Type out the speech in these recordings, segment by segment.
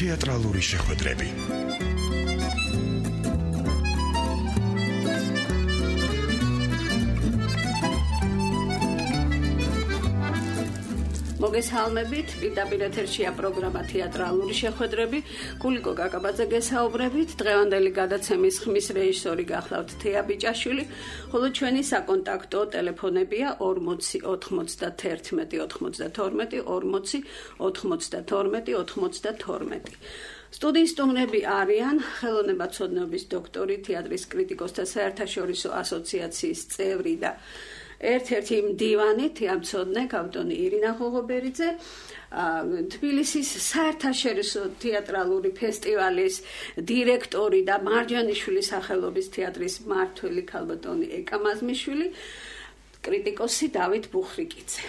თეატრალური შეხვედრები. მოგესალმებით, პირდაპირ ეთერშია პროგრამა თეატრალური შეხვედრები. გულიკო გაკაბაძე გესაუბრებით. დღევანდელი გადაცემის ხმის რეჟისორი გახლავთ თეა ბიჭაშვილი, ხოლო ჩვენი საკონტაქტო ტელეფონებია 40 91 92 40 92 92. სტუდიის სტუმრები არიან ხელოვნებაცოდნეობის დოქტორი, თეატრის კრიტიკოსთა საერთაშორისო ასოციაციის წევრი და ერთ-ერთი მდივანი თეატრმცოდნე კავტონი ირინა ღოღობერიძე, თბილისის საერთაშორისო თეატრალური ფესტივალის დირექტორი და მარჯანიშვილის სახელობის თეატრის მმართველი ქალბატონი ეკა მაზმიშვილი, კრიტიკოსი დავით ბუხრიკიძე.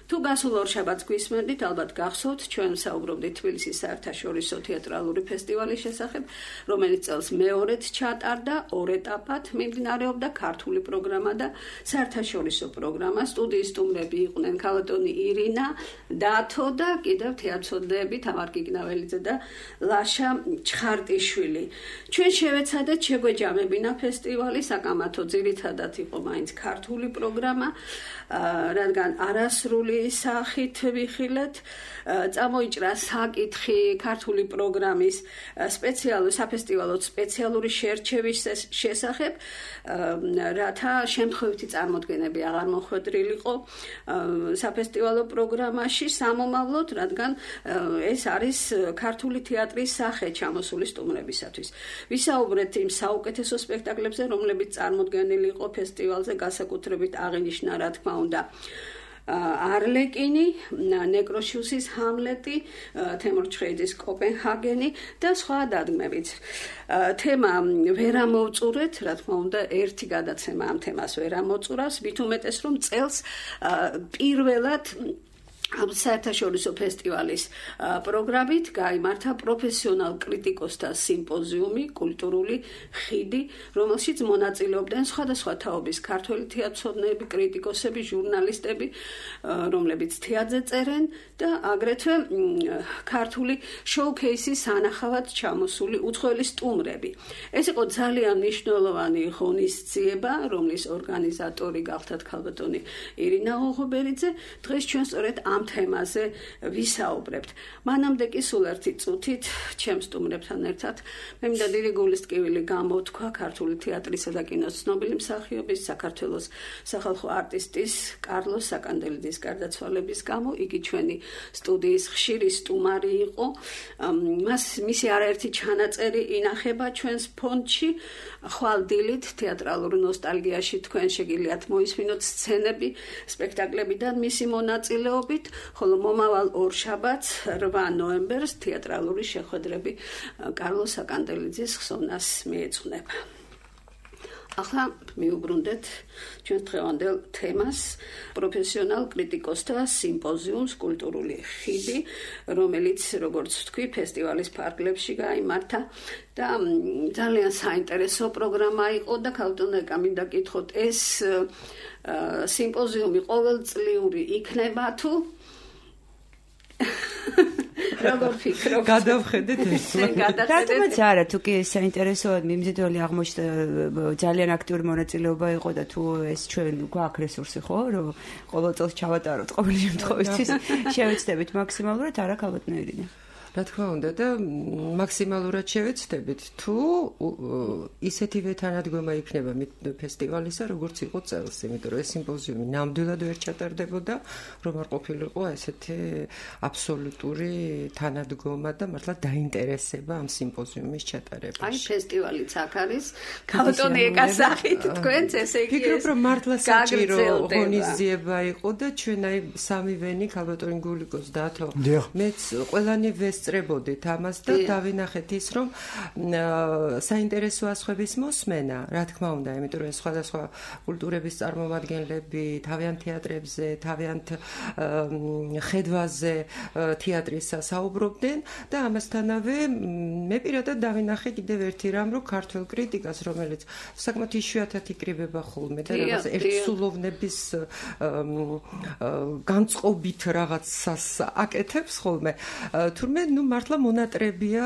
თუ გასულ ორშაბათს გვისმენდით, ალბათ გახსოვთ, ჩვენ საუბრობდით თბილისის საერთაშორისო თეატრალური ფესტივალის შესახებ, რომელიც წელს მეორედ ჩატარდა, ორ ეტაპად მიმდინარეობდა ქართული პროგრამა და საერთაშორისო პროგრამა. სტუდიის სტუმრები იყვნენ ქალბატონი ირინა, დათო და კიდევ თეატრმცოდნეები თამარ გიგნაველიძე და ლაშა ჩხარტიშვილი. ჩვენ შევეცადეთ შეგვეჯამებინა ფესტივალი, საკამათო ძირითადად იყო მაინც ქართული პროგრამა, რადგან არასრული სახით ვიხილეთ, წამოიჭრა საკითხი ქართული პროგრამის საფესტივალო სპეციალური შერჩევის შესახებ, რათა შემთხვევითი წარმოდგენები აღარ მოხვედრილიყო საფესტივალო პროგრამაში სამომავლოდ, რადგან ეს არის ქართული თეატრის სახე ჩამოსული სტუმრებისათვის. ვისაუბრეთ იმ საუკეთესო სპექტაკლებზე, რომლებიც წარმოდგენილი იყო ფესტივალზე, განსაკუთრებით აღინიშნა, რა თქმა უნდა, არლეკინი, ნეკროშიუსის ჰამლეტი, თემურ ჩხეიძის კოპენჰაგენი და სხვა დადგმებიც. თემა ვერ ამოვწურეთ, რა თქმა უნდა, ერთი გადაცემა ამ თემას ვერ ამოწურავს, მით უმეტეს რომ წელს პირველად საერთაშორისო ფესტივალის პროგრამით გაიმართა პროფესიონალ კრიტიკოსთა სიმპოზიუმი, კულტურული ხიდი, რომელშიც მონაწილეობდნენ სხვადასხვა თაობის ქართველი თეატრმცოდნეები, კრიტიკოსები, ჟურნალისტები, რომლებიც თეატრზე წერენ და აგრეთვე ქართული შოუ-ქეისის სანახავად ჩამოსული უცხოელი სტუმრები. ეს იყო ძალიან მნიშვნელოვანი ღონისძიება, რომლის ორგანიზატორი გახლავთ ქალბატონი ირინა ღოღობერიძე. დღეს ჩვენ სწორედ ამ თემაზე ვისაუბრებთ. მანამდე კი სულ ერთი წუთით ჩემს სტუმრებთან ერთად მე მინდა დიდი გულისტკივილი გამოთქვა ქართული თეატრისა და კინოს ცნობილი მსახიობის, საქართველოს სახალხო არტისტის კარლოს საკანდელიძის გარდაცვალების გამო. იგი ჩვენი სტუდიის ხშირი სტუმარი იყო. მისი არაერთი ჩანაწერი ინახება ჩვენს ფონდში. ხვალ დილით თეატრალურ ნოსტალგიაში თქვენ შეგიძლიათ მოისმინოთ სცენები სპექტაკლებიდან მისი მონაწილეობით, ხოლო მომავალ ორშაბათს 8 ნოემბერს თეატრალური შეხვედრები კარლოს საკანდელიძის ხსოვნას მიეძღვნება. ახლა მიუბრუნდეთ ჩვენ დღევანდელ თემას, პროფესიონალ კრიტიკოსთა სიმპოზიუმს, კულტურული ხიდი, რომელიც, როგორც ვთქვი, ფესტივალის ფარგლებში გაიმართა და ძალიან საინტერესო პროგრამა იყო და ქალბატონო მინდა გითხოთ, ეს სიმპოზიუმი ყოველწლიური იქნება თუ როგორ ფიქრობთ? გადავხედეთ ეს. რატომაც არა, თუ კი საინტერესოა, მიმზიდველი აღმოჩნდა, ძალიან აქტიური მონაწილეობა იყო და თუ ეს ჩვენ გვაქვს რესურსი, ხო, რომ ყოველ წელს ჩავატაროთ ყოველი შემთხვევისთვის, შევეცდებით მაქსიმალურად, არა ქალბატონო ირინა. რა თქმა უნდა და მაქსიმალურად შევეცდებით, თუ ისეთივე თანადგომა იქნება ფესტივალისა, როგორც იყო წელს, იმიტომ რომ ეს სიმპოზიუმი ნამდვილად ვერ ჩატარდებოდა, რომ არ ყოფილიყო ესეთი აბსოლუტური თანადგომა და მართლა დაინტერესება ამ სიმპოზიუმის ჩატარებაში. აი, ფესტივალიც აქ არის, ქალბატონი ეკას სახით თქვენც, ესე იგი ფიქრობ, რომ მართლა საჭირო ღონისძიება იყო და ჩვენ აი სამივენი ქალბატონი გულიკოს დათო, მეც ყველანი ვესწრებოდით ამას და დავინახეთ ის, რომ საინტერესო ასხვების მოსმენა, რა თქმა უნდა, იმიტომ რომ სხვადასხვა კულტურების წარმომადგენლები თავიანთ თეატრებზე, თავიანთ ხედვაზე თეატრისა საუბრობდნენ და ამასთანავე მე პირადად დავინახე კიდევ ერთი რამ, რომ ქართულ კრიტიკას, რომელიც საკმაოდ იშვიათად იკრიბება ხოლმე და რაღაც ერთსულოვნების განწყობით რაღაცას აკეთებს ხოლმე, თურმე მართლა მონატრებია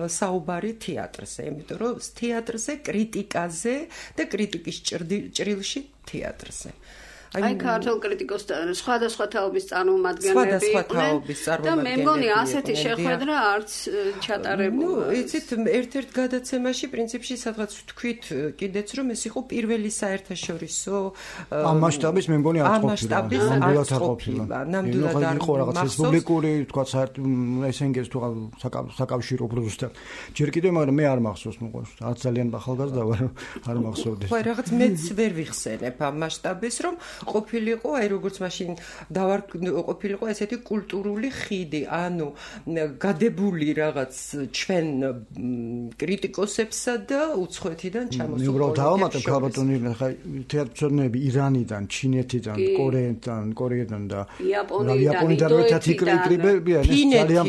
საუბარი თეატრზე, იმიტომ რომ თეატრზე, კრიტიკაზე და კრიტიკის ჭრილში თეატრზე. აი ქართულ კრიტიკოსთან სხვადასხვა თაობის წარმომადგენლები იყვნენ და მე მგონი ასეთი შეხვედრა არც ჩატარებულა. იცით, ერთ-ერთ გადაცემაში პრინციპში სადღაც ვთქვით კიდეც რომ ეს იყო პირველი საერთაშორისო ამ მასშტაბის მე მგონი არ ყოფილა. ნამდვილად არ იყო რაღაც რესპუბლიკური, თქვა SNG-ს თუ საკავშირო უბრალოდ. ჯერ კიდევ მაგრამ მე არ მახსოვს, არც ძალიან ახალგაზრდა ვარ, არ მახსოვდეს. ხო, რაღაც მეც ვერ ვიხსენებ ამ მასშტაბის, რომ ყოფილიყო, აი როგორც მაშინ ყოფილიყო ესეთი კულტურული ხიდი, ანუ გადებული რაღაც ჩვენ კრიტიკოსებსა და უცხოეთიდან ჩამოსულ. მე უბრალოდ დავამატებ ქალბატონი, ხა თეატრმცოდნეები ირანიდან, ჩინეთიდან, კორეიდან და იაპონიიდან ერთად იკრიბებიან ძალიან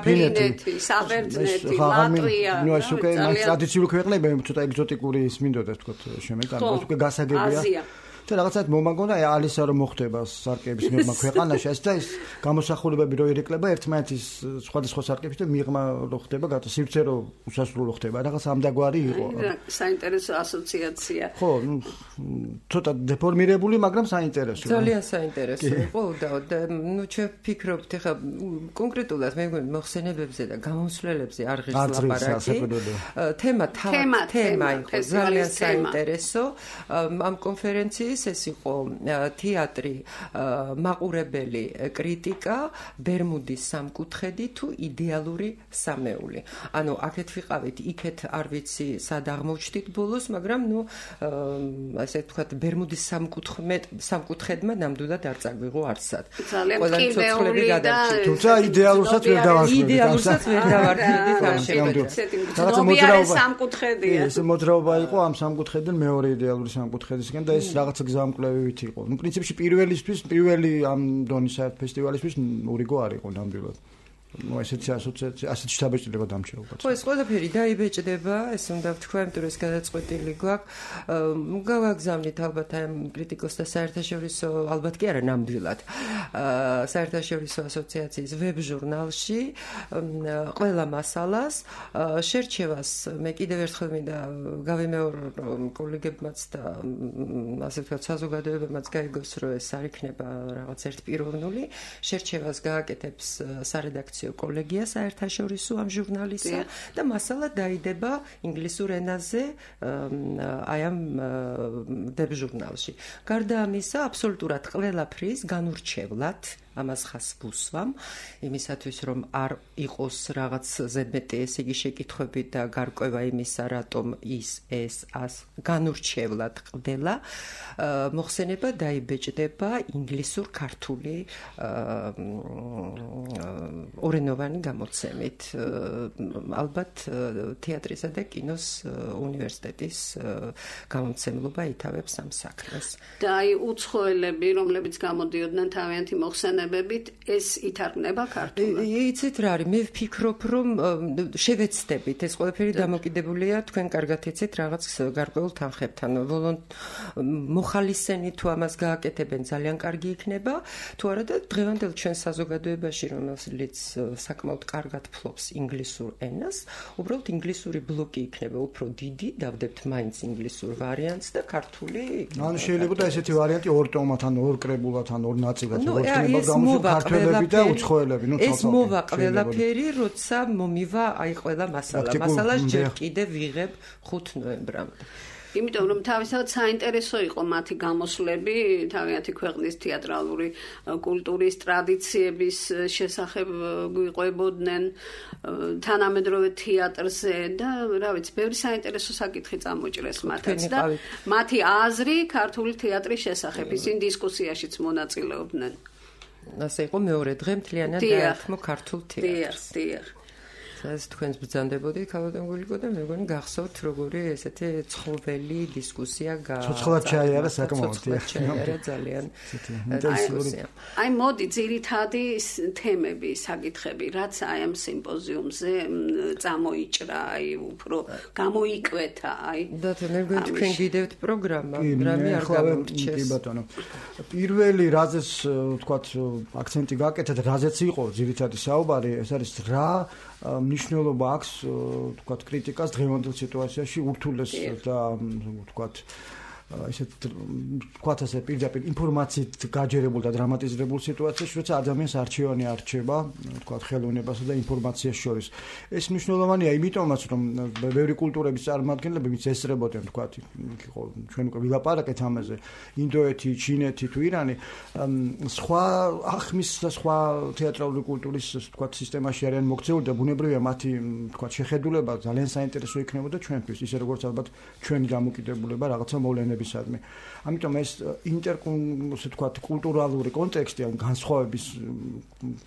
ფინეთი, საბერძნეთი, ლატვია. ნუ ეს უკვე ტრადიციული ქვეყნებია, ცოტა ეგზოტიკური ის მინდოდა თქვა შემეკანა, ეს უკვე გასაგებია. და რაღაცად მომაგონა ალისა რომ მოხდება სარკეების მიღმა ქვეყანაში ეს და ის გამოსახულებები რო ირეკლება ერთმანეთის სხვადასხვა სარკეებში და მიღმა რო ხდება გათა სივრცე რო უსასრულო ხდება რაღაც ამდაგვარი იყო საინტერესო ასოციაცია ხო ცოტა დეფორმირებული მაგრამ საინტერესო ძალიან საინტერესო იყო და ნუ ჩვენ ვფიქრობთ ეხლა კონკრეტულად მე მგონი მოხსენებებზე და გამოსვლელებზე არ ღირს ლაპარაკი თემა იყო ძალიან საინტერესო ამ კონფერენციის ეს იყო თეატრი, მაყურებელი კრიტიკა, ბერმუდის სამკუთხედი თუ იდეალური სამეული. ანუ აქეთ ვიყავით, იქეთ არ ვიცი, სად აღმოჩნდით ბოლოს, მაგრამ ნუ ასე ვთქვათ, ბერმუდის სამკუთხედმა ნამდვილად არ წაგვიღო არცად. ყველა ცოცხლები გადარჩით. თუმცა იდეალურსაც ვერ დავასრულეთ. იდეალურსაც ვერ დავარქმევდით ამ შემთხვევაში. სამკუთხედია. ეს მოძრაობა იყო ამ სამკუთხედიდან მეორე იდეალური სამკუთხედისგან და ეს რაღაც გზამკვლევით იყო. ნუ პრინციპში პირველი ამ დონის ფესტივალისთვის ურიგო არ იყო ნამდვილად. ნუ ესეთი ასოციაცია, ასეთი შთაბეჭდილება დამჭირდება. ხო, ეს ყველაფერი დაიბეჭდება, ეს უნდა ვთქვა, იმიტომ რომ ეს გადაწყვეტილი გვაქვს. გავაგზავნით ალბათ ამ კრიტიკოსთა საერთაშორისო, ალბათ კი არა ნამდვილად. საერთაშორისო ასოციაციის ვებ-ჟურნალში ყველა მასალას, შერჩევას მე კიდევ ერთხელ მინდა გავიმეორო კოლეგებმაც და ასე ვთქვათ, საზოგადოებებმაც გაიგოს, რომ ეს არ იქნება რაღაც ერთპიროვნული, შერჩევას გააკეთებს სარედაქციო კოლეგია საერთაშორისო ამ ჟურნალისა და მასალა დაიდება ინგლისურ ენაზე აი ამ ვებ-ჟურნალში. გარდა ამისა, აბსოლუტურად ყველაფრის განურჩევლად ამას ხას ვუსვამ, იმისათვის რომ არ იყოს რაღაც ზედმეტი ესე იგი შეკითხვები და გარკვევა იმისა, რატომ ეს განურჩევლად ყდება, მოხსენება დაიბეჭდება ინგლისურ-ქართული ორენოვანი გამოცემით. ალბათ თეატრისა და კინოს უნივერსიტეტის გამომცემლობა ითავებს ამ საქმეს. და აი უცხოელები, რომლებიც გამოდიოდნენ თავიანთი მოხსენებებით, ეს ითარგმნება ქართულად. იცით რა არის, მე ვფიქრობ, რომ შევეცდებით, ეს ყველაფერი დამოკიდებულია თქვენ კარგად იცით რაღაც გარკვეულ თანხებთან. მოხალისენი თუ ამას გააკეთებენ, ძალიან კარგი იქნება, თუ არა და დღევანდელ ჩვენ საზოგადოებაში, რომელიც საკმაოდ კარგად ფლობს ინგლისურ ენას, უბრალოდ ინგლისური ბლოკი იქნება უფრო დიდი, დავდებთ მაინც ინგლისურ ვარიანტს და ქართული იქნება. ანუ შეიძლება და ესეთი ვარიანტი ორ ტომად, ან ორ კრებულად, ან ორ ნაწილად, როგორც ქართველები და უცხოელები, ეს მოვა ყველაფერი, როცა მომივა აი ყველა მასალა. მასალას ჯერ კიდევ ვიღებ 5 ნოემბრამდე. იმიტომ რომ თავისთავად საინტერესო იყო მათი გამოსვლები თავიანთი ქვეყნის თეატრალური კულტურის ტრადიციების შესახებ გვიყვებოდნენ თანამედროვე თეატრზე და რა ვიცი, ბევრი საინტერესო საკითხი წამოჭრეს მათაც და მათი აზრი ქართული თეატრის შესახებ ისინი დისკუსიაშიც მონაწილეობდნენ. ასე იყო მეორე დღე მთლიანად დაერთმო ქართულ თეატრს. ეს თქვენს ბრძანდებოდით ქალბატონ გულიკო და მე მგონი გახსოვთ როგორი ესეთი ცხოველი დისკუსია ცოცხლად ჩაიარა საკმაოდ ძალიან აი მოდი ძირითადი თემები საკითხები რაც აი ამ სიმპოზიუმზე წამოიჭრა აი უფრო გამოიკვეთა აი და მე მგონი თქვენ გიდევთ პროგრამა რამე არ გამორჩეს კი ბატონო პირველი რაზეც ვთქვათ აქცენტი გაკეთეთ რაზეც იყო ძირითადი საუბარი ეს არის რა მნიშვნელობა აქვს ვთქვათ კრიტიკას დღევანდელ სიტუაციაში ურთულეს და ვთქვათ ესეთ ვთქვათ ასე პირდაპირ ინფორმაციით გაჯერებულ და დრამატიზირებულ სიტუაციაში როცა ადამიანს არჩევანი არჩება ვთქვათ ხელოვნებასა და ინფორმაციას შორის ეს მნიშვნელოვანია იმიტომაც რომ ბევრი კულტურების წარმომადგენლები ვინც ესწრებოდნენ ვთქვათ იყო ჩვენ უკვე ვილაპარაკეთ ამაზე ინდოეთი ჩინეთი თუ ირანი სხვა ახმის და სხვა თეატრალური კულტურის ვთქვათ სისტემაში არიან მოქცეული და ბუნებრივია მათი ვთქვათ შეხედულება ძალიან საინტერესო იქნებოდა ჩვენთვის ისე როგორც ალბათ ჩვენი დამოკიდებულება რაღაცა მოვლენებისადმი ამიტომ ეს ასე ვთქვათ კულტურალური კონტექსტი ან განსხვავების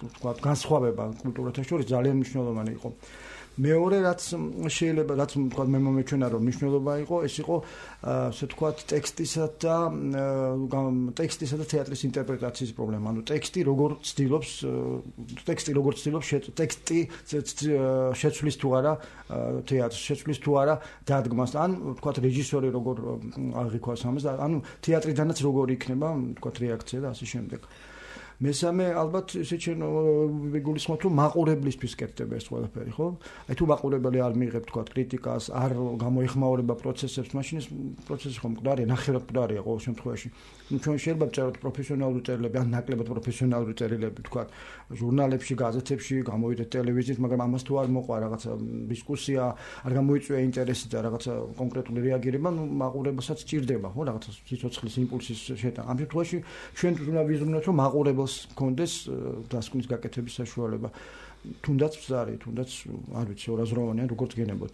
ვთქვათ განსხვავება კულტურათა შორის ძალიან მნიშვნელოვანი იყო მეორე რაც შეიძლება რაც ვთქვათ მე მომეჩვენა რომ მნიშვნელობა იყო ეს იყო ასე ვთქვათ ტექსტისა და თეატრის ინტერპრეტაციის პრობლემა ანუ ტექსტი როგორ ცდილობს ტექსტი შეცვლის თუ არა თეატრს შეცვლის თუ არა დადგმას ან ვთქვათ რეჟისორი როგორ აღიქვას ამას ანუ თეატრიდანაც როგორ იქნება ვთქვათ რეაქცია და ასე შემდეგ მესამე ალბათ ესე ჩვენ ვიგულისხმობთ რომ მაყურებლისთვის კეთდება ეს ყველაფერი ხო? აი თუ მაყურებელი არ მიიღებს თქვა კრიტიკას, არ გამოეხმაურება პროცესებს, მაშინ ეს პროცესი ხომ მკვდარია, ნახევრად მკვდარია ყოველ შემთხვევაში. ნუ ჩვენ შეიძლება ვწეროთ პროფესიონალური წერილები, ან ნაკლებად პროფესიონალური წერილები თქვა ჟურნალებში, გაზეთებში, გამოვიდეთ ტელევიზიით, მაგრამ ამას თუ არ მოყვა რაღაცა დისკუსია, არ გამოიწვია ინტერესი და რაღაცა კონკრეტული რეაგირება, ნუ მაყურებელსაც ჭირდება, ხო, რაღაცა სიცოცხლის იმპულსის შეტანა. ამ შემთხვევაში ჩვენ უნდა ვიზრუნოთ რომ მაყურებელს კონდეს დასკვნის გაკეთების საშუალება. თუნდაც მზარი, თუნდაც არ ვიცი, ორაზროვანია, როგორც გენებოდ.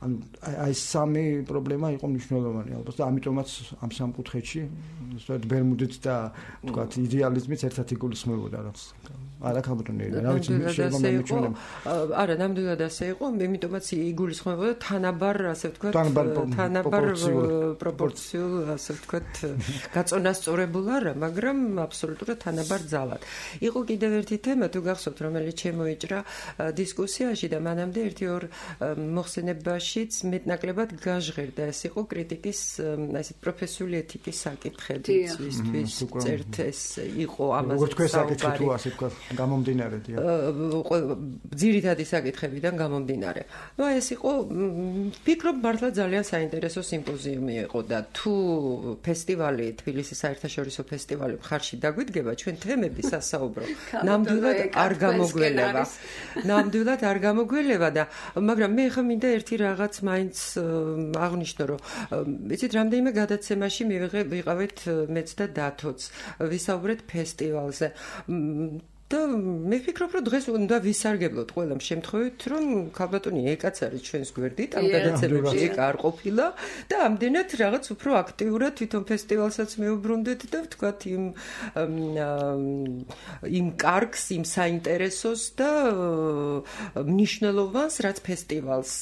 ანუ აი სამი პრობლემა იყო მნიშვნელოვანი ალბათ და ამიტომაც ამ სამ კუთხეში სწორედ ბერმუდით და თქვათ იდეალიზმიც ერთად იგულისხმებოდა რაც არა ქალბატონია რა ვიცი შეიძლება მემეჩვენება არა ნამდვილად ასე იყო ამიტომაც იგულისხმებოდა თანაბარ ასე ვთქვათ თანაბარ პროპორციულ ასე ვთქვათ გაწონასწორებულ არა მაგრამ აბსოლუტურად თანაბარ ძალად იყო კიდევ ერთი თემა თუ გახსოვთ რომელიც შემოიჭრა დისკუსიაში და მანამდე ერთი-ორ მოხსენებაში მეტნაკლებად გაჟღერდა ეს იყო კრიტიკის ასეთ პროფესიული ეთიკის საკითხები ისთვის წერთ ეს იყო ამაზე როგორც თქვენ საკითხი თუ ასე თქვა გამომდინარე ძირითადი საკითხებიდან გამომდინარე ნუ ეს იყო ვფიქრობ მართლა ძალიან საინტერესო სიმპოზიუმი იყო და თუ ფესტივალი თბილისის საერთაშორისო ფესტივალი მხარში დაგვიდგება ჩვენ თემები სასაუბრო ნამდვილად არ გამოგველება და მაგრამ მე ხა მინდა ერთი რაღაც მაინც აღნიშნო რომ იცით რამდენიმე გადაცემაში ვიყავით მეც და დათოც ვისაუბრეთ ფესტივალზე და მე ვფიქრობ რომ დღეს უნდა ვისარგებლოთ ყველამ შემთხვევით რომ ქალბატონი ეკაც არის ჩვენს გვერდით ამ გადაცემებში ეკ არ ყოფილა და ამდენად რაღაც უფრო აქტიურად თვითონ ფესტივალსაც მეუბრუნდეთ და ვთქვათ იმ კარგს იმ საინტერესოს და მნიშვნელობას რაც ფესტივალს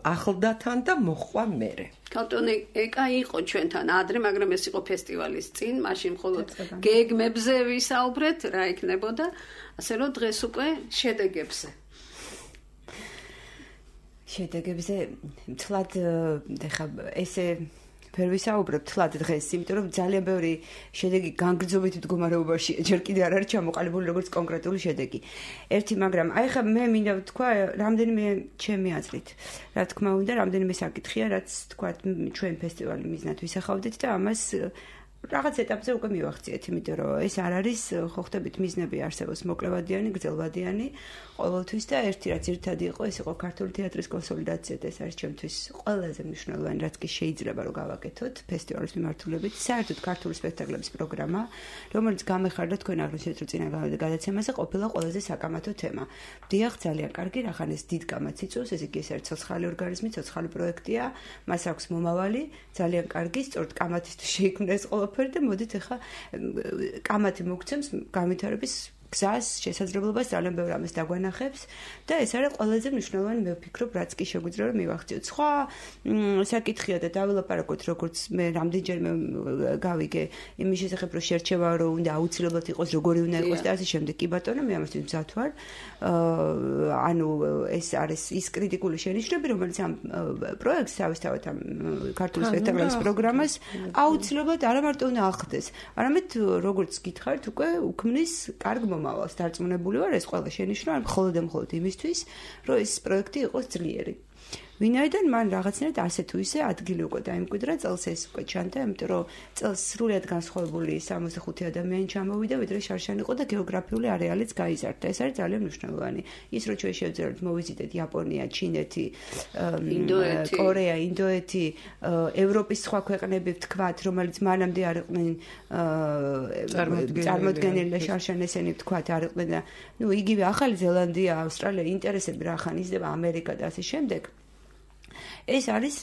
ახლდათან და მოხვა მერე ქალბატონი ეკა იყო ჩვენთან ადრე მაგრამ ეს იყო ფესტივალის წინ მაშინ მხოლოდ გეგმებზე ვისაუბრეთ რა იქნებოდა ასე რომ დღეს უკვე შედეგებზე თლად ეხა ესე ვერ ვისაუბრებ თლად დღეს, იმიტომ რომ ძალიან ბევრი შედეგი განგრძობითი მდგომარეობაშია, ჯერ კიდე არ არის ჩამოყალიბებული როგორც კონკრეტული შედეგი. ერთი, მაგრამ აი ხა მე მინდა ვთქვა, რამდენიმე ჩემი აზრით, რა თქმა უნდა, რამდენიმე საკითხია, რაც თქვა ჩვენ ფესტივალი მიზნად ვისახავდით და ამას რაღაც ეტაპზე უკვე მივახციეთ, იმიტომ რომ ეს არ არის ხო ხდებით მიზნები არსებობს მოკლევადიანი, გრძელვადიანი ყოველთვის და ერთი რაც ერთადი იყო, ეს იყო ქართული თეატრის კონსოლიდაცია და ეს არის ჩემთვის ყველაზე მნიშვნელოვანი, რაც კი შეიძლება რომ გავაკეთოთ ფესტივალის მიმართულებით, საერთოდ ქართული სპექტაკლების პროგრამა, რომელიც გამეხარდა თქვენ აღნიშნეთ რომ წინა გადაცემაზე ყოფილა ყველაზე საკამათო თემა. დიახ, ძალიან კარგი, რახან ეს დიდ კამათს იწვევს, ეს იგი ეს არის ცოცხალი ორგანიზმი, ცოცხალი პროექტია, მას აქვს მომავალი, ძალიან კარგი, სწორედ კამათისთვის შეიქმნა ეს ყველაფერი და მოდით ახლა კამათი მოგცემს განვითარების გზას, შესაძლებლობას ძალიან ბევრ ამას დაგვანახებს და ეს არის ყველაზე მნიშვნელოვანი, მე ვფიქრობ, რაც კი შეგვიძლია რომ მივახციოთ. სხვა საკითხია და დავილაპარაკოთ, როგორც მე რამდენჯერმე გავიგე იმის შესახებ, რომ შერჩევა რომ უნდა აუცილებლად იყოს, როგორი უნდა იყოს და ასე შემდეგ. კი ბატონო, მე ამასთვის მზად ვარ. ანუ ეს არის ის კრიტიკული შენიშვნები, რომელიც ამ პროექტს თავისთავად ამ ქართული სპექტაკლის პროგრამას აუცილებლად არა მარტო უნდა ახლდეს, არამედ როგორც გითხარით, უკვე უქმნის კარგ მომავალს. დარწმუნებული ვარ, ეს ყველა შენიშვნა არ მხოლოდ და მხოლოდ იმისთვის, რომ ეს პროექტი იყოს ძლიერი. ვინაიდან მან რაღაცნაირად ასე თუ ისე ადგილი უკვე დაიმკვიდრა, წელს ეს უკვე ჩანდა, იმიტომ რომ წელს სრულად განსხვავებული 65 ადამიანი ჩამოვიდა, ვიდრე შარშან იყო და გეოგრაფიული არეალიც გაიზარდა. ეს არის ძალიან მნიშვნელოვანი. ის რომ ჩვენ შევძლებთ მოვიზიტეთ იაპონია, ჩინეთი, კორეა, ინდოეთი, ევროპის სხვა ქვეყნები ვთქვათ, რომელიც მანამდე არ იყვნენ წარმოდგენილი და შარშან ესენი ვთქვათ არ იყვნენ და ნუ იგივე ახალი ზელანდია, ავსტრალია, ინტერესები რა ხან იზრდება, ამერიკა და ასე შემდეგ. ეს არის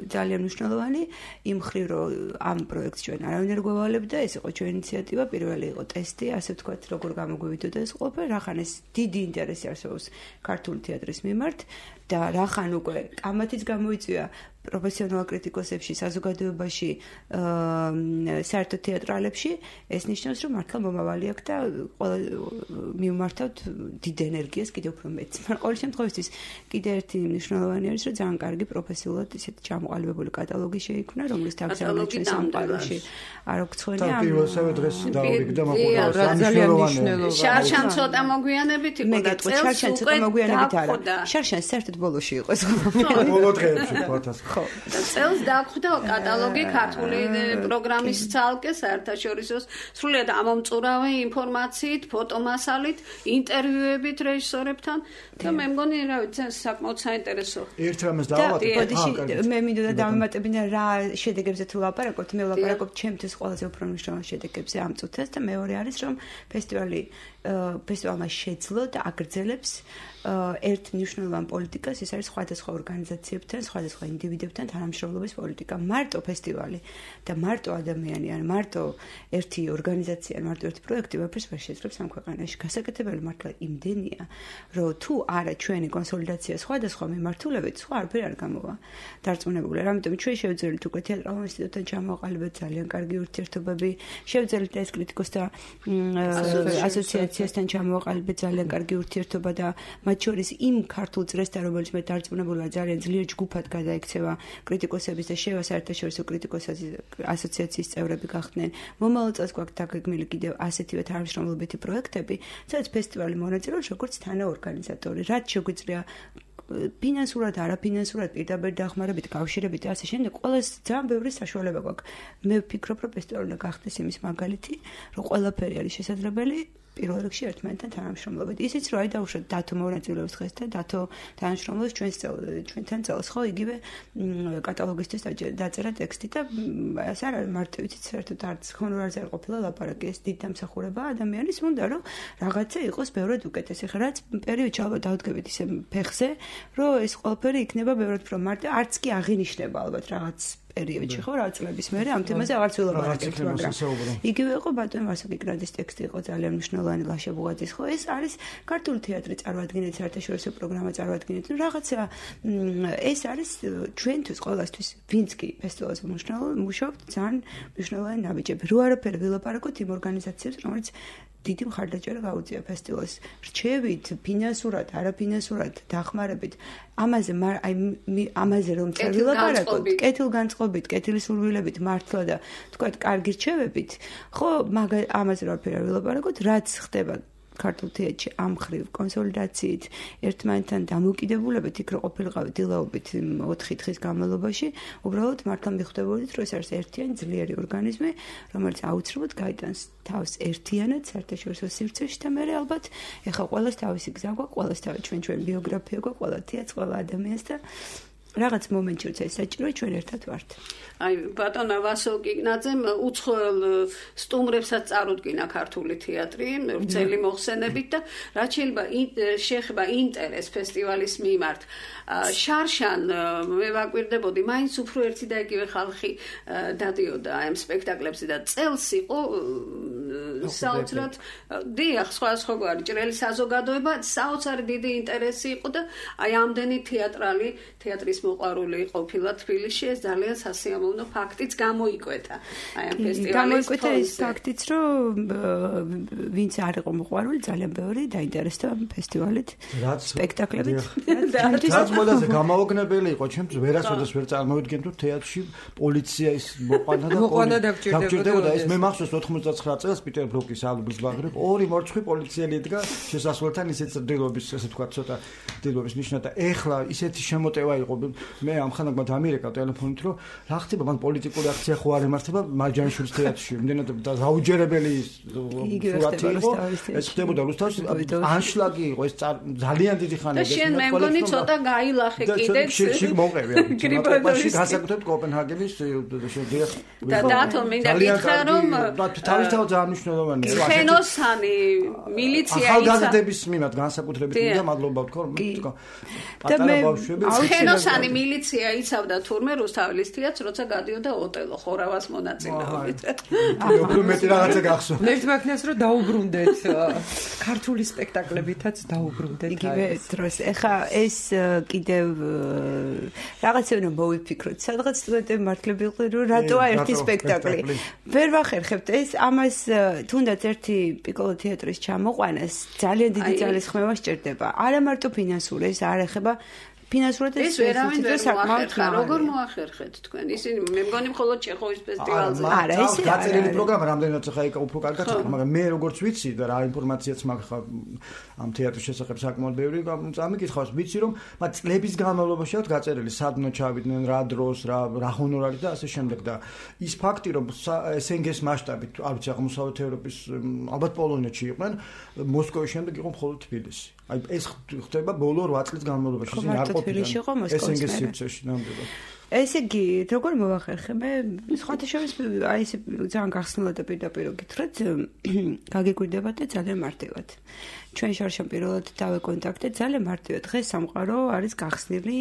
ძალიან მნიშვნელოვანი იმ მხრივ, რომ ამ პროექტს ჩვენ არავინ არ გვავალებდა, ეს იყო ჩვენი ინიციატივა, პირველი იყო ტესტი, ასე ვთქვათ, როგორ გამოგვივიდოდა ეს ყველაფერი, რახან ეს დიდი ინტერესი არსებობს ქართული თეატრის მიმართ და რახან უკვე კამათიც გამოიწვია პროფესიონალ კრიტიკოსებში, საზოგადოებაში, საერთო თეატრალებში, ეს ნიშნავს, რომ მართლა მომავალი აქვს და მივმართავთ დიდ ენერგიას კიდევ უფრო მეც. მაგრამ ყოველ შემთხვევაში კიდე ერთი მნიშვნელოვანი არის, რომ ძალიან კარგი პროფესიულად ისეთ ჩამოყალიბებული კატალოგი შეიქმნა, რომლის თავსავანად ჩვენ სამყაროში არ გვცხვენია. და პირველსავე დღეს დავიგდა ძალიან მნიშვნელოვანი. შარშან ცოტა მოგვიანებით იყო და წელს უკვე მოგვიანებით არა. შარშან საერთოდ ბოლოში იყო ეს. ბოლო დღეებში ფოთას. და წელს დაგვხვდა კატალოგი ქართული პროგრამის ცალკე საერთაშორისო სრულიად ამომწურავი ინფორმაციით, ფოტომასალით, ინტერვიუებით რეჟისორებთან და მე მგონი რა ვიცი საკმაოდ საინტერესო. ერთ რამეს დავავატებ. მე მინდოდა დავემატებინა რა შედეგებზე თუ ლაპარაკობთ, მე ვლაპარაკობ ჩემთვის ყველაზე უფრო მნიშვნელოვან შედეგებზე ამ წუთას და მეორე არის რომ ფესტივალმა შეძლო და აგრძელებს ერთ მნიშვნელოვან პოლიტიკას, ეს არის სხვადასხვა ორგანიზაციებთან, სხვადასხვა ინდივიდებთან თანამშრომლობის პოლიტიკა. მარტო ფესტივალი და მარტო ადამიანი, ან მარტო ერთი ორგანიზაცია, ან მარტო ერთი პროექტი ვაფერს ვერ შეძლებს ამ ქვეყანაში. გასაკეთებელი მართლა იმდენია, რომ თუ არა ჩვენი კონსოლიდაცია სხვადასხვა მიმართულებით, სხვა არაფერი არ გამოვა. დარწმუნებული. ამიტომ ჩვენ შევძლებთ უკვე თეატრალურ ინსტიტუტთან ჩამოყალიბეთ ძალიან კარგი ურთიერთობები, შევძლებთ ეს კრიტიკოსთა ასოციაციასთან ჩამოყალიბეთ ძალიან კარგი ურთიერთობა და მათ შორის იმ ქართულ წრესთან, რომელიც მე დარწმუნებული ვარ ძალიან ძლიერ ჯგუფად გადაიქცევა კრიტიკოსების და შევა საერთაშორისო კრიტიკოსების ასოციაციის წევრები გახდნენ. მომავალ წელს გვაქვს დაგეგმილი კიდევ ასეთივე თანამშრომლობითი პროექტები, სადაც ფესტივალი მონაწილეობს როგორც თანაორგანიზატორი, რაც შეგვიძლია ფინანსურად, არაფინანსურად, პირდაპირ დახმარებით, კავშირებით და ასე შემდეგ, ყველას ძალიან ბევრი საშუალება გვაქვს. მე ვფიქრობ, რომ ფესტივალი უნდა გახდეს იმის მაგალითი, რომ ყველაფერი არის შესაძლებელი. პირველ რიგში ერთმანეთთან თანამშრომლობით. ისიც რომ აი დავუშვათ დათო მონაწილეობს დღეს და დათო თანამშრომლობს ჩვენთან წელს, ხო, იგივე კატალოგისთვის დაწერა ტექსტი და ეს არ არის მარტო იცით საერთოდ არც ჰონორარზე არ ყოფილა ლაპარაკი, ეს დიდ დამსახურება ადამიანის უნდა რომ რაღაცა იყოს ბევრად უკეთესი. ხა რაც პერიოდში ალბათ დავდგებით ისე ფეხზე, რომ ეს ყველაფერი იქნება ბევრად უფრო მარტო, არც კი აღინიშნება ალბათ რაღაც პერიოდში ხო რა წლების მერე ამ თემაზე აღარც ვილაპარაკებთ, მაგრამ იგივე იყო ბატონ ვასილ კიკრაძის ტექსტი იყო ძალიან მნიშვნელოვანი ლაშა ბუღაძის ხო ეს არის ქართული თეატრი წარმოადგენთ საერთაშორისო პროგრამა წარმოადგენთ რაღაცა ეს არის ჩვენთვის ყველასთვის ვინც კი ფესტივალზე მუშაობთ ძალიან მნიშვნელოვანი ნაბიჯები რო არაფერი ვილაპარაკოთ იმ ორგანიზაციებს რომელიც დიდი მხარდაჭერა გაუწია ფესტივალს რჩევით ფინანსურად, არაფინანსურად დახმარებით ამაზე რომ ვილაპარაკოთ, კეთილგანწყობით, კეთილსურვილებით მართლა და თქვა კარგი რჩევებით, ხო, ამაზე რომ ვილაპარაკოთ, რაც ხდება ქართულ თეატრში ამ ხრივ კონსოლიდაციით, ერთმანეთთან დამოკიდებულებით, იქ რო ყოფილიყავით დილაობით 4 დღის განმავლობაში, უბრალოდ მართლა მიხვდებოდით, რომ ეს არის ერთიანი ძლიერი ორგანიზმი, რომელიც აუცილებლად გაიტანს თავს ერთიანად საერთაშორისო სივრცეში და მე ალბათ ეხლა ყველას თავისი გზა გვაქვს, ყველას თავისი ჩვენ ბიოგრაფია გვაქვს, ყველა თეატრს, ყველა ადამიანს და რაღაც მომენტში როცა ეს საჭიროა ჩვენ ერთად ვართ. აი ბატონო ვასილ კიკნაძემ უცხოელ სტუმრებსაც წარუდგინა ქართული თეატრი ვრცელი მოხსენებით და რაც შეიძლება ინტერეს ფესტივალის მიმართ შარშან მე ვაკვირდებოდი მაინც უფრო ერთი და იგივე ხალხი დადიოდა ამ სპექტაკლებზე და წელს იყო საოცრად დიახ, სხვადასხვაგვარი ჭრელი საზოგადოება, საოცარი დიდი ინტერესი იყო და აი ამდენი თეატრის მოყვარული ყოფილა თბილისში, ეს ძალიან სასიამოვნო ფაქტიც გამოიკვეთა. აი ამ ფესტივალის გამოიკვეთა ის ფაქტიც, რომ ვინც არ იყო მოყვარული, ძალიან ბევრი დაინტერესდა ამ ფესტივალით, სპექტაკლებით. რაც მოდაზე გამაოგნებელი იყო, ჩემთვის ვერასოდეს ვერ წარმოვიდგენ თუ თეატრში პოლიცია ის მოყვანა და დაგჭირდებოდა. ეს მე მახსოვს 99 წელს პიტერ ბრუკის ალბომის ბაღრებ ორი მორცხვი პოლიციელი იდგა შესასვლელთან ისეთ ძლობის, ასე თქვა, ცოტა ძლობის ნიშნა და ეხლა ისეთი შემოტევა იყო. მე ამხანაგ დამირეკა ტელეფონით, რომ რა ხდება, მან პოლიტიკური აქცია ხო არ ემართება მარჯანიშვილის თეატრში. იმდენად დაუჯერებელი სურათი იყო. ეს ხდებოდა რუსთავში, ანშლაგი იყო, ეს ძალიან დიდი ხანი და შენ მე მგონი ცოტა გაილახე კიდეც. შიგ მოყევი. გრიბადოში გასაკუთრებით კოპენჰაგენის შედიახ. და დათო მინდა გითხრა რომ თავისთავად ძალიან მნიშვნელოვანია. ხენოსანი მილიცია ახალგაზრდების მიმართ განსაკუთრებით მინდა მადლობა ვთქვა, რომ თქვა პატარა ბავშვები ხენოსანი მილიცია იცავდა თურმე რუსთაველის თეატრს, როცა გადიოდა ოტელო ხორავას მონაწილეობით. უფრო მეტი რაღაცა გახსოვს. მე მაქნას რომ დაუბრუნდეთ ქართული სპექტაკლებითაც დაუბრუნდეთ. იგივე დროს ეხა ეს კიდევ რაღაცა უნდა მოვიფიქროთ. სადღაც სტუდენტები მართლები იყვნენ, რომ რატოა ერთი სპექტაკლი. ვერ ვახერხებთ ეს ამას თუნდაც ერთი პიკოლო თეატრის ჩამოყვანას ძალიან დიდი ძალის ხმევა სჭირდება. არა მარტო ფინანსური, ეს არ ეხება ფინანსურად ეს ვერავინ ვერ მოახერხა. როგორ მოახერხეთ თქვენ? ისინი მე მგონი მხოლოდ ჩეხოვის ფესტივალზე. არა, ესე არა. გაწერილი პროგრამა რამდენად ხა იქ უფრო კარგად ხდება, მაგრამ მე როგორც ვიცი და რა ინფორმაციაც მაქვს ამ თეატრის შესახებ საკმაოდ ბევრი წამიკითხავს, ვიცი რომ მათ წლების განმავლობაში აქვს გაწერილი სადნო ჩავიდნენ, რა დროს, რა ჰონორარი და ასე შემდეგ და ის ფაქტი რომ SNG-ის მასშტაბით, არ ვიცი, აღმოსავლეთ ევროპის ალბათ პოლონეთში იყვნენ, მოსკოვის შემდეგ იყო მხოლოდ თბილისი. აი ეს ხდება ბოლო 8 წლის განმავლობაში. ისინი არ ყოფილან SNG-ის სივრცეში ნამდვილად. ესე იგი, როგორ მოვახერხე? სხვათა შორის აი ეს ძალიან გახსნილად და პირდაპირ გითხრათ, გაგიკვირდება და ძალიან მარტივად. ჩვენ შორშან პირველად დავეკონტაქტეთ ძალიან მარტივად. დღეს სამყარო არის გახსნილი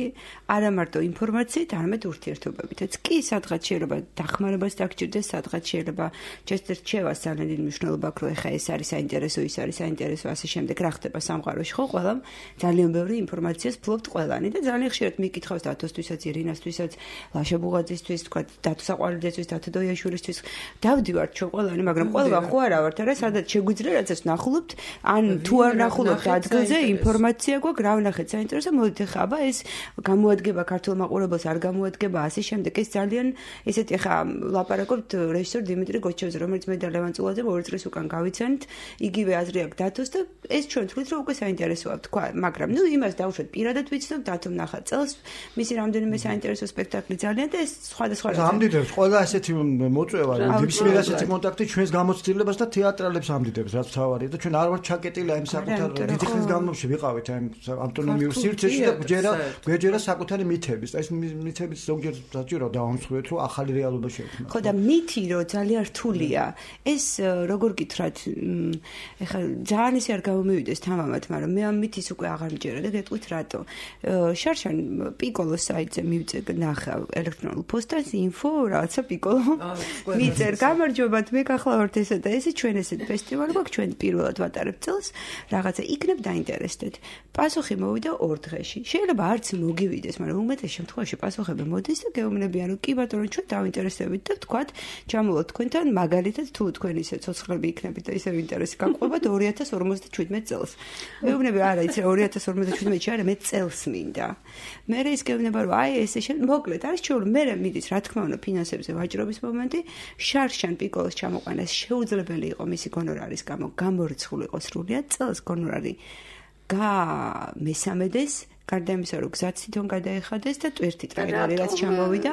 არა მარტო ინფორმაციით, არამედ ურთიერთობებითაც. კი, სადღაც შეიძლება დახმარებას დაგჭირდეს, სადღაც შეიძლება ჯერ რჩევას ძალიან დიდი მნიშვნელობა აქვს, რომ ეხა ეს არის საინტერესო, ის არის საინტერესო, ასე შემდეგ. რა ხდება სამყაროში, ხო? ყველამ ძალიან ბევრი ინფორმაციას ფლობთ ყველანი და ძალიან ხშირად მიკითხავს დათოსთვისაც, ირინასთვისაც, ლაშა ბუღაძისთვის, თქვა დათო საყვარელძისთვის, დათო დოიაშვილისთვის. დავდივართ ჩვენ ყველანი, მაგრამ ყველა ხო არა ვართ, არა, სადაც შეგვიძლია რაღაცას ნახულობთ, ან თუ არ ნახულობთ ადგილზე ინფორმაცია გვაქვს, რა ვნახეთ საინტერესო, მოდით ახლა აბა ეს გამოადგება ქართულ მაყურებელს, არ გამოადგება, ასე შემდეგ. ეს ძალიან ესეთი ახლა ლაპარაკობთ რეჟისორ დიმიტრი გოჩევზე, რომელიც მე და ლევან წულაძე 2 წლის უკან გავიცანთ, იგივე აზრი აქვს დათოს და ეს ჩვენ თვლით რომ უკვე საინტერესოა თქვა, მაგრამ ნუ იმას დავუშვათ პირადად ვიცნობ დათომ ნახა წელს მისი რამდენიმე საინტერესო სპექტაკლი ძალიან და ეს სხვადასხვა ამდიდებს ყველა ასეთი მოწვევა ნებისმიერ ასეთი კონტაქტი ჩვენს გამოცდილებას და თეატრალებს ამდიდებს რაც თავარია და ჩვენ არ ვართ ჩაკეტილი აი საკუთარ დიდი ხნის განმავლობაში ვიყავით აი ავტონომიურ სივრცეში და გვეჯერა საკუთარი მითების და ეს მითების ზოგჯერ საჭირო დავამსხვრეთ რომ ახალი რეალობა შეექმნა ხო და მითი რომ ძალიან რთულია ეს როგორ გითხრათ ეხლა ძალიან ისე არ გამომივიდეს თამამად მაგრამ მე ამ მითის უკვე აღარ მჯერა და გეტყვით რატო შარშან პიკოლოს საიტზე მივწერ ნახა ელექტრონულ პოსტას info რაცა პიკოლო მიწერ გამარჯობათ მე გახლავართ ესა და ესე ჩვენ ესეთ ფესტივალი გვაქვს ჩვენ პირველად ვატარებთ წელს რაღაცა იქნებ დაინტერესდეთ პასუხი მოვიდა 2 დღეში შეიძლება არც მოგივიდეს მაგრამ უმეტეს შემთხვევაში პასუხები მოდის და გეუბნებიან რომ კი ბატონო ჩვენ დავინტერესდებით და ვთქვათ ჩამოვოთ თქვენთან მაგალითად თუ თქვენ ისე ცოცხლები იქნებით და ისე ინტერესი გაყვებათ 2057 წელს მეუბნები არა იცი 2057-ში არა მე წელს მინდა მე ის გეუბნება რომ აი ესე მოკლედ არის ჩვეულებრივ მე მიდის რა თქმა უნდა ფინანსებზე ვაჭრობის მომენტი შარშან პიკოლოს ჩამოყვანას შეუძლებელი იყო მისი გონორარის გამო გამორიცხული იყო სრულიად წელს გონორარი მესამედეს გარდა იმისა რომ გზაც თვითონ გადაეხადეს და ტვირთი ტრეილერი რაც ჩამოვიდა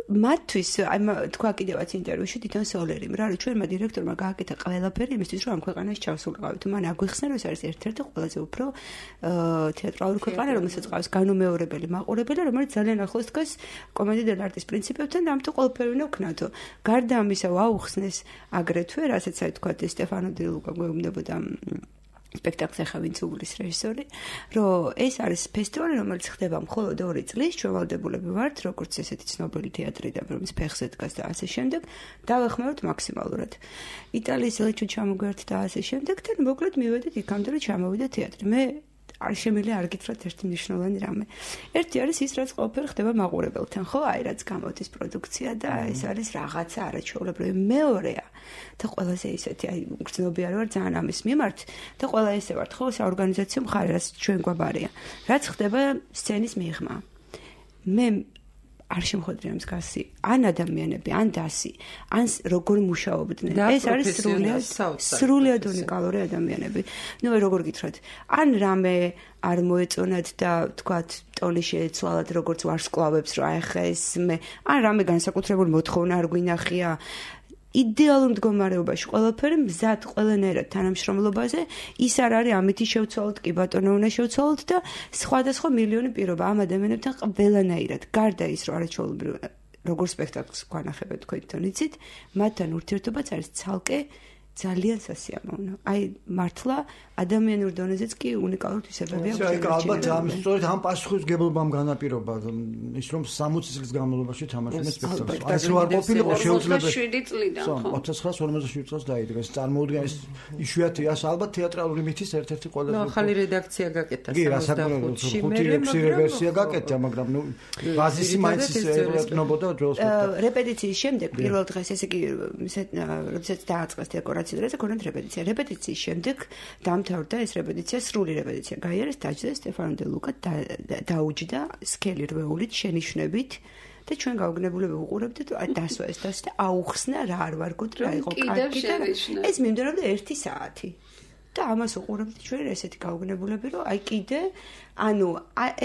მათთვის აი თქვა კიდევაც ინტერვიუში თვითონ სოლერიმ რა რომ ჩვენმა დირექტორმა გააკეთა ყველაფერი იმისთვის რომ ამ ქვეყანაში ჩავსულიყავით მან აგვიხსნა რომ ეს არის ერთ-ერთი ყველაზე უფრო თეატრალური ქვეყანა რომელსაც ყავს განუმეორებელი მაყურებელი რომელიც ძალიან ახლოს დგას კომედია დელ არტის პრინციპებთან და ამიტომ ყველაფერი უნდა ვქნათო გარდა ამისა ვაუხსნეს აგრეთვე რასაც აი თქვა სტეფანო დი ლუკა გვეუბნებოდა სპექტაკლს ახლა ვინც უგლის რეჟისორი, რომ ეს არის ფესტივალი, რომელიც ხდება მხოლოდ 2 წლის, ჩვეულებრივი ვართ, როგორც ესეთი ცნობილი თეატრიდან, რომელიც ფეხზე დგას და ასე შემდეგ, დავეხმაროთ მაქსიმალურად. იტალიის ელჩი ჩამოგვერთ და ასე შემდეგ, და მოკლედ მივედით იქამდე, რომ ჩამოვიდა თეატრი. მე არ შემიძლია არ გითხრათ ერთი მნიშვნელოვანი რამე. ერთი არის ის, რაც ყველაფერი ხდება მაყურებელთან, ხო? აი, რაც გამოდის პროდუქცია და ეს არის რაღაცა არაჩვეულებრივი. მეორეა და ყველაზე ისეთი, აი, გრძნობიარე ვარ ძალიან ამის მიმართ და ყველა ესე ვართ, ხო? საორგანიზაციო მხარე, რაც ჩვენ გვაბარია. რაც ხდება სცენის მიღმა. მე არ შემოხვედრია მსგავსი ან ადამიანები, ან დასი, ან როგორ მუშაობდნენ. ეს არის სრულიად უნიკალური ადამიანები. ნუ როგორ გითხრათ, ან რამე არ მოეწონათ და თქვათ ტონი შეეცვალათ როგორც ვარსკვლავებს, რომ აი ხა ეს მე ან რამე განსაკუთრებული მოთხოვნა არ გვინახია. იდეალურ მდგომარეობაში ყველაფერი მზად ყველანაირად თანამშრომლობაზე ის არ არის ამითი შევცვალოთ კი ბატონო უნდა შევცვალოთ და სხვადასხვა მილიონი პირობა ამ ადამიანებთან ყველანაირად გარდა ის რომ არაჩვეულებრივ როგორ სპექტაკლს გვანახებთ თქვენ თვითონ იცით მათთან ურთიერთობაც არის ცალკე ძალიან სასიამოვნო. აი მართლა ადამიანურ დონეზეც კი უნიკალური თვისებებია. აი ალბათ ამის სწორედ ამ პასუხისმგებლობამ განაპირობა ის რომ 60 წლის განმავლობაში თამაშობენ სპექტაკლს. აი ეს რო არ ყოფილიყო შეუძლებელი 7 წლიდან ხო? 1947 წელს დაიდგა. ეს წარმოუდგა ეს იშვიათი ას ალბათ თეატრალური მითის ერთ-ერთი ყველაზე ახალი რედაქცია გაკეთა 65-ში. 5-6 ვერსია გაკეთა, მაგრამ ნუ ბაზისი მაინც ეკნებოდა ძველ სპექტაკლს. რეპეტიციის შემდეგ პირველ დღეს ესე იგი როდესაც დააწყეს დეკორაცია და ქონდათ რეპეტიცია. რეპეტიციის შემდეგ დამთავრდა ეს რეპეტიცია, სრული რეპეტიცია. გაიარეს დაჯდა სტეფანო დე ლუკა დაუჯდა სკელი რვეულით შენიშვნებით და ჩვენ გავგნებულები ვუყურებდით, აი დასვა ეს და აუხსნა რა არ ვარგოთ რა იყო კარგი და ეს მიმდევრობდა 1 საათი. და ამას უყურებდით ჩვენ ესეთი გავგნებულები, რომ აი კიდე ანუ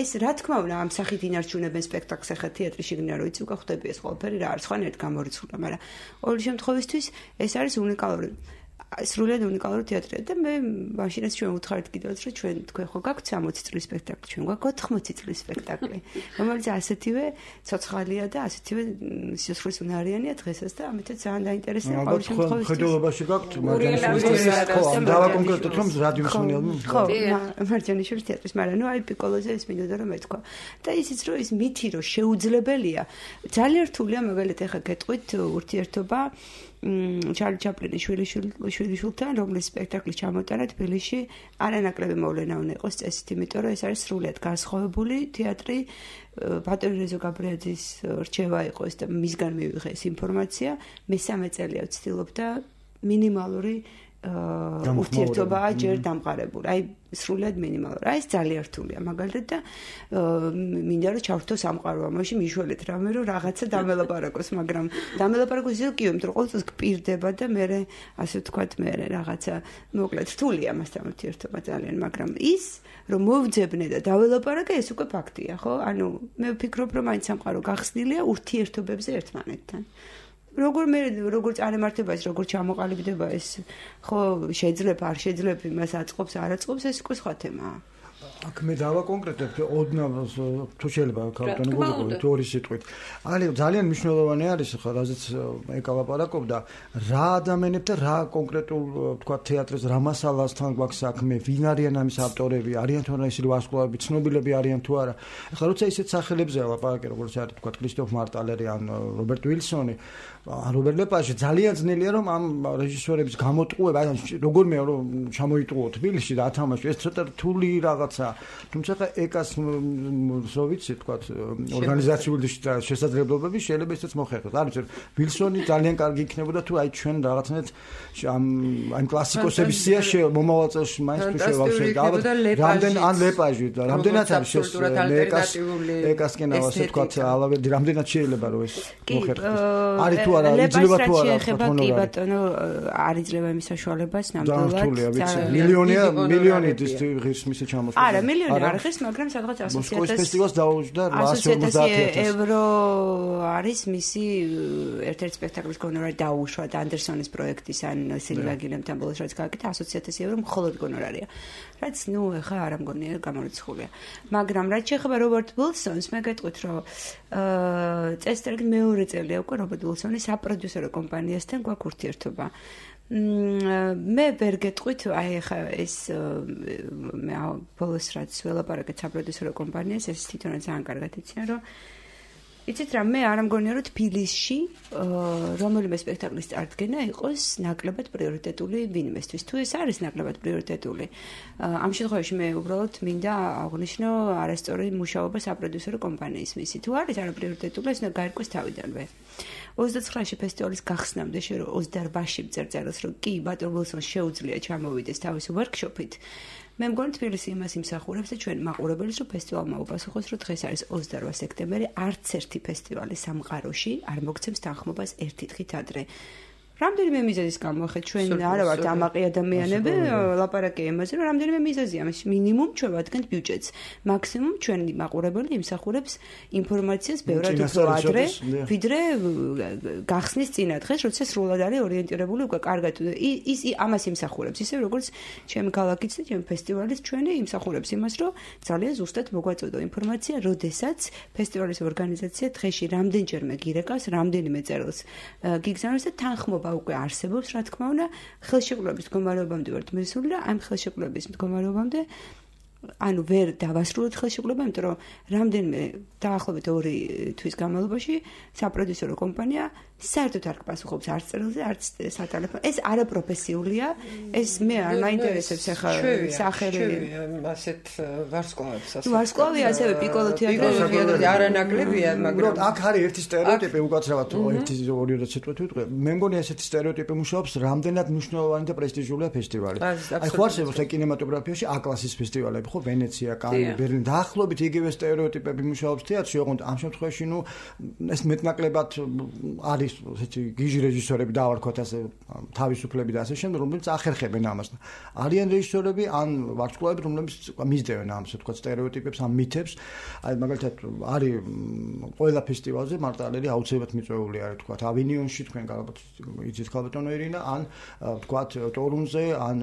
ეს რა თქმა უნდა ამ სახით ინარჩუნებენ სპექტაკლს ახლა თეატრში გნა რომ იცი უკვე ხდები ეს ყველაფერი რა არის ხანერთ გამორიცხული, მაგრამ ყოველ შემთხვევისთვის ეს არის უნიკალური სრულიად უნიკალური თეატრია და მე მაშინაც ჩვენ ვუთხარით კიდევაც რომ ჩვენ თქვენ ხო გაქვთ 60 წლის სპექტაკლი, ჩვენ გვაქვს 80 წლის სპექტაკლი, რომელიც ასეთივე ცოცხალია და ασეთივე სიცოცხლის უნარიანია დღესაც და ამიტომ ძალიან დაინტერესებია ყოველ შემთხვევაში. ხედულობაში გაქვთ მარჯანიშვილის ხო, დავაკონკრეტოთ რომ რადიოს მენელმე. ხო, მარჯანიშვილის თეატრის, მაგრამ ნუ აი პიკოლოზე ეს მინდოდა რომ მეთქვა. და ისიც რომ ის მითი რომ შეუძლებელია, ძალიან რთულია მაგალითად ახლა გეტყვით ურთიერთობა ჩარლი ჩაპლინის შვილიშვილთან, რომლის სპექტაკლი ჩამოტანა თბილისში, არანაკლები მოვლენა უნდა იყოს წესით, იმიტომ რომ ეს არის სრულიად განსხვავებული თეატრი. ბატონი რეზო გაბრიაძის რჩევა იყო ეს და მისგან მივიღე ეს ინფორმაცია. მე 3 წელია ვცდილობდა მინიმალური ურთიერთობაა ჯერ დამყარებული. აი სრულიად მინიმალური. აი ეს ძალიან რთულია მაგალითად და მინდა რომ ჩავრთო სამყარო ამაში მიშველეთ რამე რომ რაღაცა დამელაპარაკოს, მაგრამ დამელაპარაკოს ისე კი, იმიტომ რომ ყოველთვის გპირდება და მე ასე ვთქვათ მე რაღაცა მოკლედ რთულია მასთან ურთიერთობა ძალიან, მაგრამ ის რომ მოვძებნე და დაველაპარაკე ეს უკვე ფაქტია, ხო? ანუ მე ვფიქრობ რომ მაინც სამყარო გახსნილია ურთიერთობებზე ერთმანეთთან. როგორ წარმართება ეს, როგორ ჩამოყალიბდება ეს, ხო, შეიძლება, არ შეიძლება, იმას აწყობს, არ აწყობს, ეს უკვე სხვა თემაა. აქ მე დავაკონკრეტებ, ოდნავ თუ შეიძლება ქართული გულობრივი თეორიის სიტყვით. არის ძალიან მნიშვნელოვანი არის ხა, რაზეც ეკალაპარაკობდა, რა ადამიანებთან რა კონკრეტულ, თქვა თეატრის რა მასალასთან გვაქვს საქმე, ვინ არიან ამის ავტორები, არიან თუ არა ისინი ვარსკვლავები, ცნობილები არიან თუ არა. ახლა როცა ისეთ სახელებზე ლაპარაკი, როგორც არის თქვა კრისტოფ მარტალერი ან რობერტ ვილსონი, რობერტ ლეპაჟი ძალიან ძნელია რომ ამ რეჟისორების გამოტყუება, აი როგორმე რომ ჩამოიტყუო თბილისში და ათამაშო, ეს ცოტა რთული რაღაცა. თუმცა ეკას რო ვიცი თქვა ორგანიზაციული შესაძლებლობები შეიძლება ისიც მოხერხოს. არის ვილსონი ძალიან კარგი იქნებოდა თუ აი ჩვენ რაღაცნაირად ამ კლასიკოსების სიაში მომავალ წელს მაინც თუ შევავსებთ. რამდენ ან ლეპაჟი და რამდენად არის ეკასკენ ასე თქვა რამდენად შეიძლება რომ ეს მოხერხოს. არის თუ არა იძლევა თუ არა კი ბატონო არ იძლევა იმის საშუალებას ნამდვილად მილიონი ღირს მისი ჩამოსვლა. არა მილიონი არ ხეს, მაგრამ სადღაც 100,000 ფესტივალს დაუჯდა 150,000 ევრო არის მისი ერთ-ერთი სპექტაკლის გონორარი დაუშვა და ანდერსონის პროექტის ან სილვია გილემთან ბოლოს რაც გააკეთა 100,000 ევრო მხოლოდ გონორარია. რაც ნუ ეხა არ ამგონია გამორიცხულია. მაგრამ რაც შეეხება რობერტ ვილსონს, მე გეტყვით რომ წესრიგი მეორე წელია უკვე რობერტ ვილსონის საპროდიუსერო კომპანიასთან გვაქვს ურთიერთობა. მე ვერ გეტყვით, აი ხა ეს მე ბოლოს რაც ველაპარაკეთ საპროდიუსერო კომპანიას, ეს თვითონაც ძალიან კარგად იციან, რომ იცით რა, მე არ ამგონია, რომ თბილისში რომელიმე სპექტაკლის წარდგენა იყოს ნაკლებად პრიორიტეტული ვინმესთვის. თუ ეს არის ნაკლებად პრიორიტეტული, ამ შემთხვევაში მე უბრალოდ მინდა აღვნიშნო არასწორი მუშაობა საპროდიუსერო კომპანიის მისი. თუ არის არაპრიორიტეტული, ეს უნდა გაირკვეს თავიდანვე. 29-ში ფესტივალის გახსნამდე შენ 28-ში წერწელს, რომ კი ბატონ ვილსონს შეუძლია ჩამოვიდეს თავისი ვორქშოპით. მე მგონი თბილისი იმას იმსახურებს და ჩვენ მაყურებელს რომ ფესტივალმა უპასუხოს რომ დღეს არის 28 სექტემბერი არც ერთი ფესტივალი სამყაროში არ მოგცემს თანხმობას ერთი დღით ადრე. რამდენიმე მიზეზის გამო ხე ჩვენ არა ვართ ამაყი ადამიანები ლაპარაკი იმაზე რომ რამდენიმე მიზეზია ამის მინიმუმ ჩვენ ვადგენთ ბიუჯეტს მაქსიმუმ ჩვენ მაყურებელი იმსახურებს ინფორმაციას ბევრად უფრო ადრე ვიდრე გახსნის წინა დღეს როცა სრულად არის ორიენტირებული უკვე კარგად ის ამას იმსახურებს ისე როგორც ჩემი ქალაქიც და ჩემი ფესტივალიც ჩვენი იმსახურებს იმას რომ ძალიან ზუსტად მოგვაწოდო ინფორმაცია როდესაც ფესტივალის ორგანიზაცია დღეში რამდენჯერმე გირეკავს რამდენიმე წერილს გიგზავნოს და თანხმობა უკვე არსებობს, რა თქმა უნდა, ხელშეკრულების მდგომარეობამდე ვართ მესული და ამ ხელშეკრულების მდგომარეობამდე ანუ ვერ დავასრულოთ ხელშეკრულება, იმიტომ რომ რამდენიმე დაახლოებით 2 თვის განმავლობაში საპროდიუსერო კომპანია საერთოდ არ გპასუხობს არც წერილზე, არც სატელეფონო. ეს არაპროფესიულია, ეს მე არ მაინტერესებს ახლა სახელი ასეთ ვარსკვლავებს ასე. ვარსკვლავი ასევე პიკოლო თეატრი არანაკლებია, მაგრამ აქ არის ერთი სტერეოტიპი უკაცრავად ერთი ორი როცა ვიტყვი. მე მგონი ესეთი სტერეოტიპი მუშაობს, რამდენად მნიშვნელოვანი და პრესტიჟულია ფესტივალი. აი ხო არსებობს კინემატოგრაფიაში A-კლასის ფესტივალები, ხო ვენეცია, კანი, ბერლინი, დაახლოებით იგივე სტერეოტიპები მუშაობს თეატრში, ოღონდ ამ შემთხვევაში ნუ ეს მეტნაკლებად არის ესეთი გიჟი რეჟისორები დავარქვათ ასე თავისუფლები და ასე შემდეგ, რომლებიც ახერხებენ ამას. არიან რეჟისორები ან ვარსკვლავები, რომლებიც მისდევენ ამ ასე ვთქვათ სტერეოტიპებს, ამ მითებს. აი მაგალითად არის ყველა ფესტივალზე მარტალერი აუცილებლად მიწვეული არის ვთქვათ ავინიონში, თქვენ ალბათ იცით ქალბატონო ირინა, ან ვთქვათ ტორუნზე, ან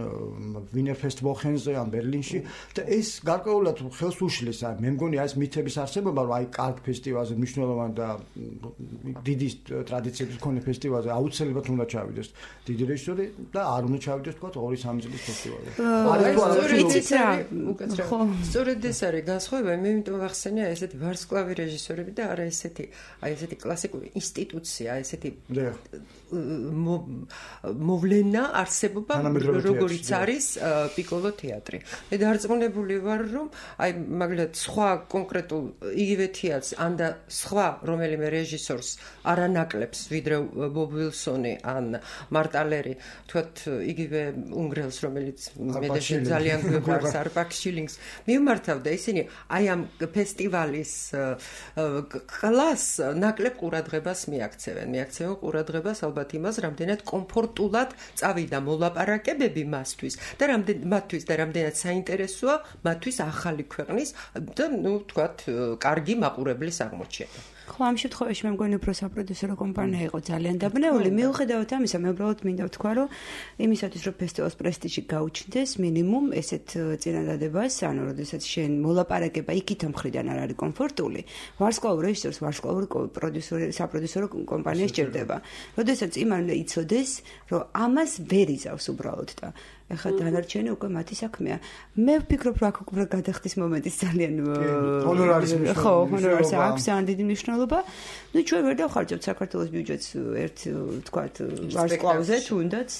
ვინერფესტ ვოხენზე, ან ბერლინში და ეს გარკვეულად ხელს უშლის. აი მე მგონი ეს მითების არსებობა, რომ აი კარგ ფესტივალზე მნიშვნელოვანი და დიდი ტრადიციების მქონე ფესტივალზე აუცილებლად უნდა ჩავიდეს დიდი რეჟისორი და არ უნდა ჩავიდეს თქვა 2-3 წლის ფესტივალზე. სწორედ ეს არის განსხვავება, მე იმიტომ ვახსენე ესეთი ვარსკვლავი რეჟისორები და არა ესეთი აი ესეთი კლასიკური ინსტიტუცია, ესეთი მოვლენა არსებობა როგორიც არის პიკოლო თეატრი. მე დარწმუნებული ვარ რომ აი მაგალითად სხვა კონკრეტულ იგივე თეატრს ან და სხვა რომელიმე რეჟისორს არანაკლებს ვიდრე ბობ ვილსონი ან მარტალერი თქვათ იგივე უნგრელს რომელიც მე ძალიან გვიყვარს არპაკ შილინგს მიმართავდა ისინი აი ამ ფესტივალის კლას ნაკლებ ყურადღებას მიაქცევენ ყურადღებას ალბათ იმას რამდენად კომფორტულად წავიდა მოლაპარაკებები მასთვის და რამდენად საინტერესოა მათთვის ახალი ქვეყნის და ნუ თქვათ კარგი მაყურებლის აღმოჩენა. ხო ამ შემთხვევაში მე მგონი უფრო საპროდიუსერო კომპანია იყო ძალიან დაბნეული. მიუხედავად ამისა, მე უბრალოდ მინდა ვთქვა, რომ იმისათვის რომ ფესტივალის პრესტიჟი გაუჩნდეს, მინიმუმ ესეთ წინადადებას, ანუ როდესაც შენ მოლაპარაკება იქით მხრიდან არ არის კომფორტული, ვარსკვლავურ რეჟისორს ვარსკვლავური საპროდიუსერო კომპანია სჭირდება. როდესაც იმან იცოდეს, რომ ამას ვერ იზავს უბრალოდ და ეხლა დანარჩენი უკვე მათი საქმეა. მე ვფიქრობ, რომ აქ უკვე გადახდის მომენტის ძალიან ჰონორარის ჰონორარს აქვს ძალიან დიდი მნიშვნელობა. ნუ ჩვენ ვერ დავხარჯავთ საქართველოს ბიუჯეტს ერთ ვთქვათ ვარსკვლავზე თუნდაც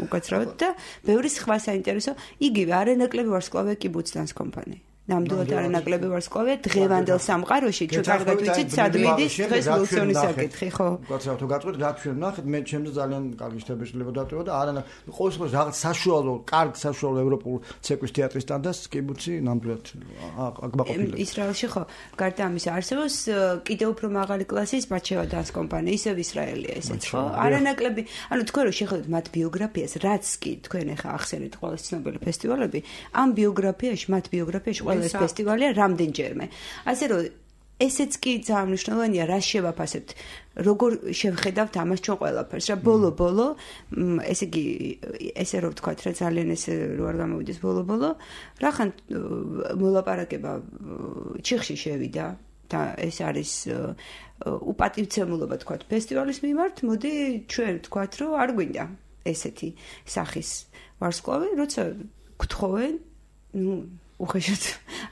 უკაცრავად და ბევრი სხვა საინტერესო იგივე არანაკლები ვარსკვლავია კიბუცდანს კომპანია. ნამდვილად არანაკლები ვარსკვლავია დღევანდელ სამყაროში ჩვენ კარგად ვიცით სად მიდის დღეს ვილსონის საკითხი ხო უკაცრავად თუ გაწყვეტ რა ჩვენ ნახეთ მე ჩემს ძალიან კარგი შთაბეჭდილება დატოვა და არა ყოველ შემთხვევაში რაღაც საშუალო კარგ საშუალო ევროპულ ცეკვის თეატრის სტანდარტს კიბუცი ნამდვილად აგმაყოფილებს ისრაელში ხო გარდა ამისა არსებობს კიდევ უფრო მაღალი კლასის ბაჩევა დანს კომპანია ისევ ისრაელია ესეც ხო არანაკლები ანუ თქვენ რო შეხედოთ მათ ბიოგრაფიას რაც კი თქვენ ახლა ახსენეთ ყველა ცნობილი ფესტივალები ამ ბიოგრაფიაში მათ ბიოგრაფიაში ეს ფესტივალია რამდენჯერმე. ასე რომ ესეც კი ძალიან მნიშვნელოვანია, რა შევაფასებთ, როგორ შევხედავთ ამას ჩვენ ყველაფერს. რა ბოლო, ესე იგი, ესე რომ ვთქვათ, რა ძალიან ესე რო არ გამოვიდეს ბოლო, რახან მოლაპარაკება ჩიხში შევიდა და ეს არის უპატივცემულობა თქვათ ფესტივალის მიმართ, მოდი ჩვენ ვთქვათ, რომ არ გვინდა. ესეთი სახის ვარსკვლავი, როცა გთხოვენ, უხეშად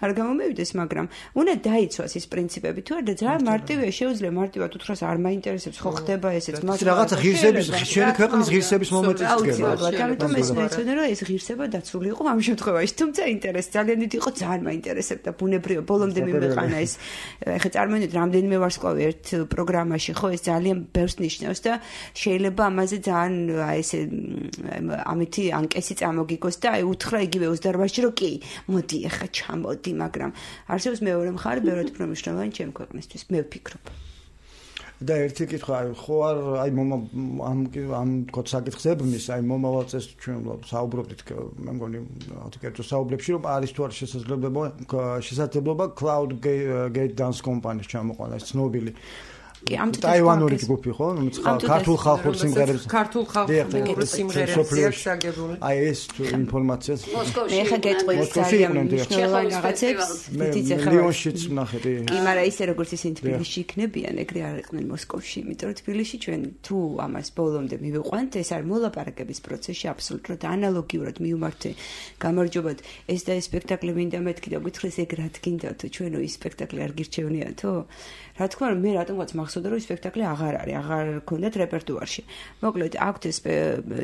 არ გამომივიდეს, მაგრამ უნდა დაიცვას ის პრინციპები თუ არა და ძალიან მარტივია, შეუძლია მარტივად უთხრას არ მაინტერესებს, ხო ხდება ესეც, მაგრამ რაღაცა ღირსების, შენი ქვეყნის ღირსების მომენტიც დგება. ამიტომ ეს მეცოდნა რომ ეს ღირსება დაცული იყო ამ შემთხვევაში, თუმცა ინტერესი ძალიან დიდი იყო, ძალიან მაინტერესებდა ბუნებრივია, ბოლომდე მიმეყანა ეს. ეხლა წარმოვიდგინეთ, რამდენიმე ვარსკვლავი ერთ პროგრამაში, ხო, ეს ძალიან ბევრს ნიშნავს და შეიძლება ამაზე ძალიან ესე ამითი ანკესი წამოგიგოს და აი უთხრა იგივე 28-ში რომ კი, მოდი ეხა ჩამოდი, მაგრამ არსებობს მეორე მხარე, ბევრად უფრო მნიშვნელოვანი ჩემი ქვეყნისთვის, მე ვფიქრობ. და ერთი კითხვა, ხო არ აი ამ თქო საკითხს ებმის, აი მომავალ წელს ჩვენ საუბრობდით, მე მგონი კერძო საუბრებში, რომ არის თუ არა შესაძლებლობა Cloud Gate Dance კომპანიის ჩამოყვანა, ეს ცნობილი ტაივანური ჯგუფი ხო? ქართულ ხალხურ სიმღერებს. ქართულ ხალხურ სიმღერებს აგებული. აი ეს ინფორმაციაც. მე ხა გეტყვი ძალიან მნიშვნელოვანი რაღაცებს. დიდიც ახლა ლიონშიც ნახეთ. კი, მაგრამ ისე როგორც ისინი თბილისში იქნებიან, ეგრე არ იყვნენ მოსკოვში, იმიტომ რომ თბილისში ჩვენ თუ ამას ბოლომდე მივიყვანთ, ეს არის მოლაპარაკების პროცესში აბსოლუტურად ანალოგიურად მივმართე. გამარჯობათ, ეს და ეს სპექტაკლი მინდა მეთქი და გითხრეს ეგ რა თქინდა თუ ჩვენო ის სპექტაკლი არ გირჩევნია თუ? რა თქმა უნდა, მე რატომღაც მახსოვდა რომ სპექტაკლი აღარ არის, აღარ გქონდათ რეპერტუარში. მოკლედ, აქვთ ეს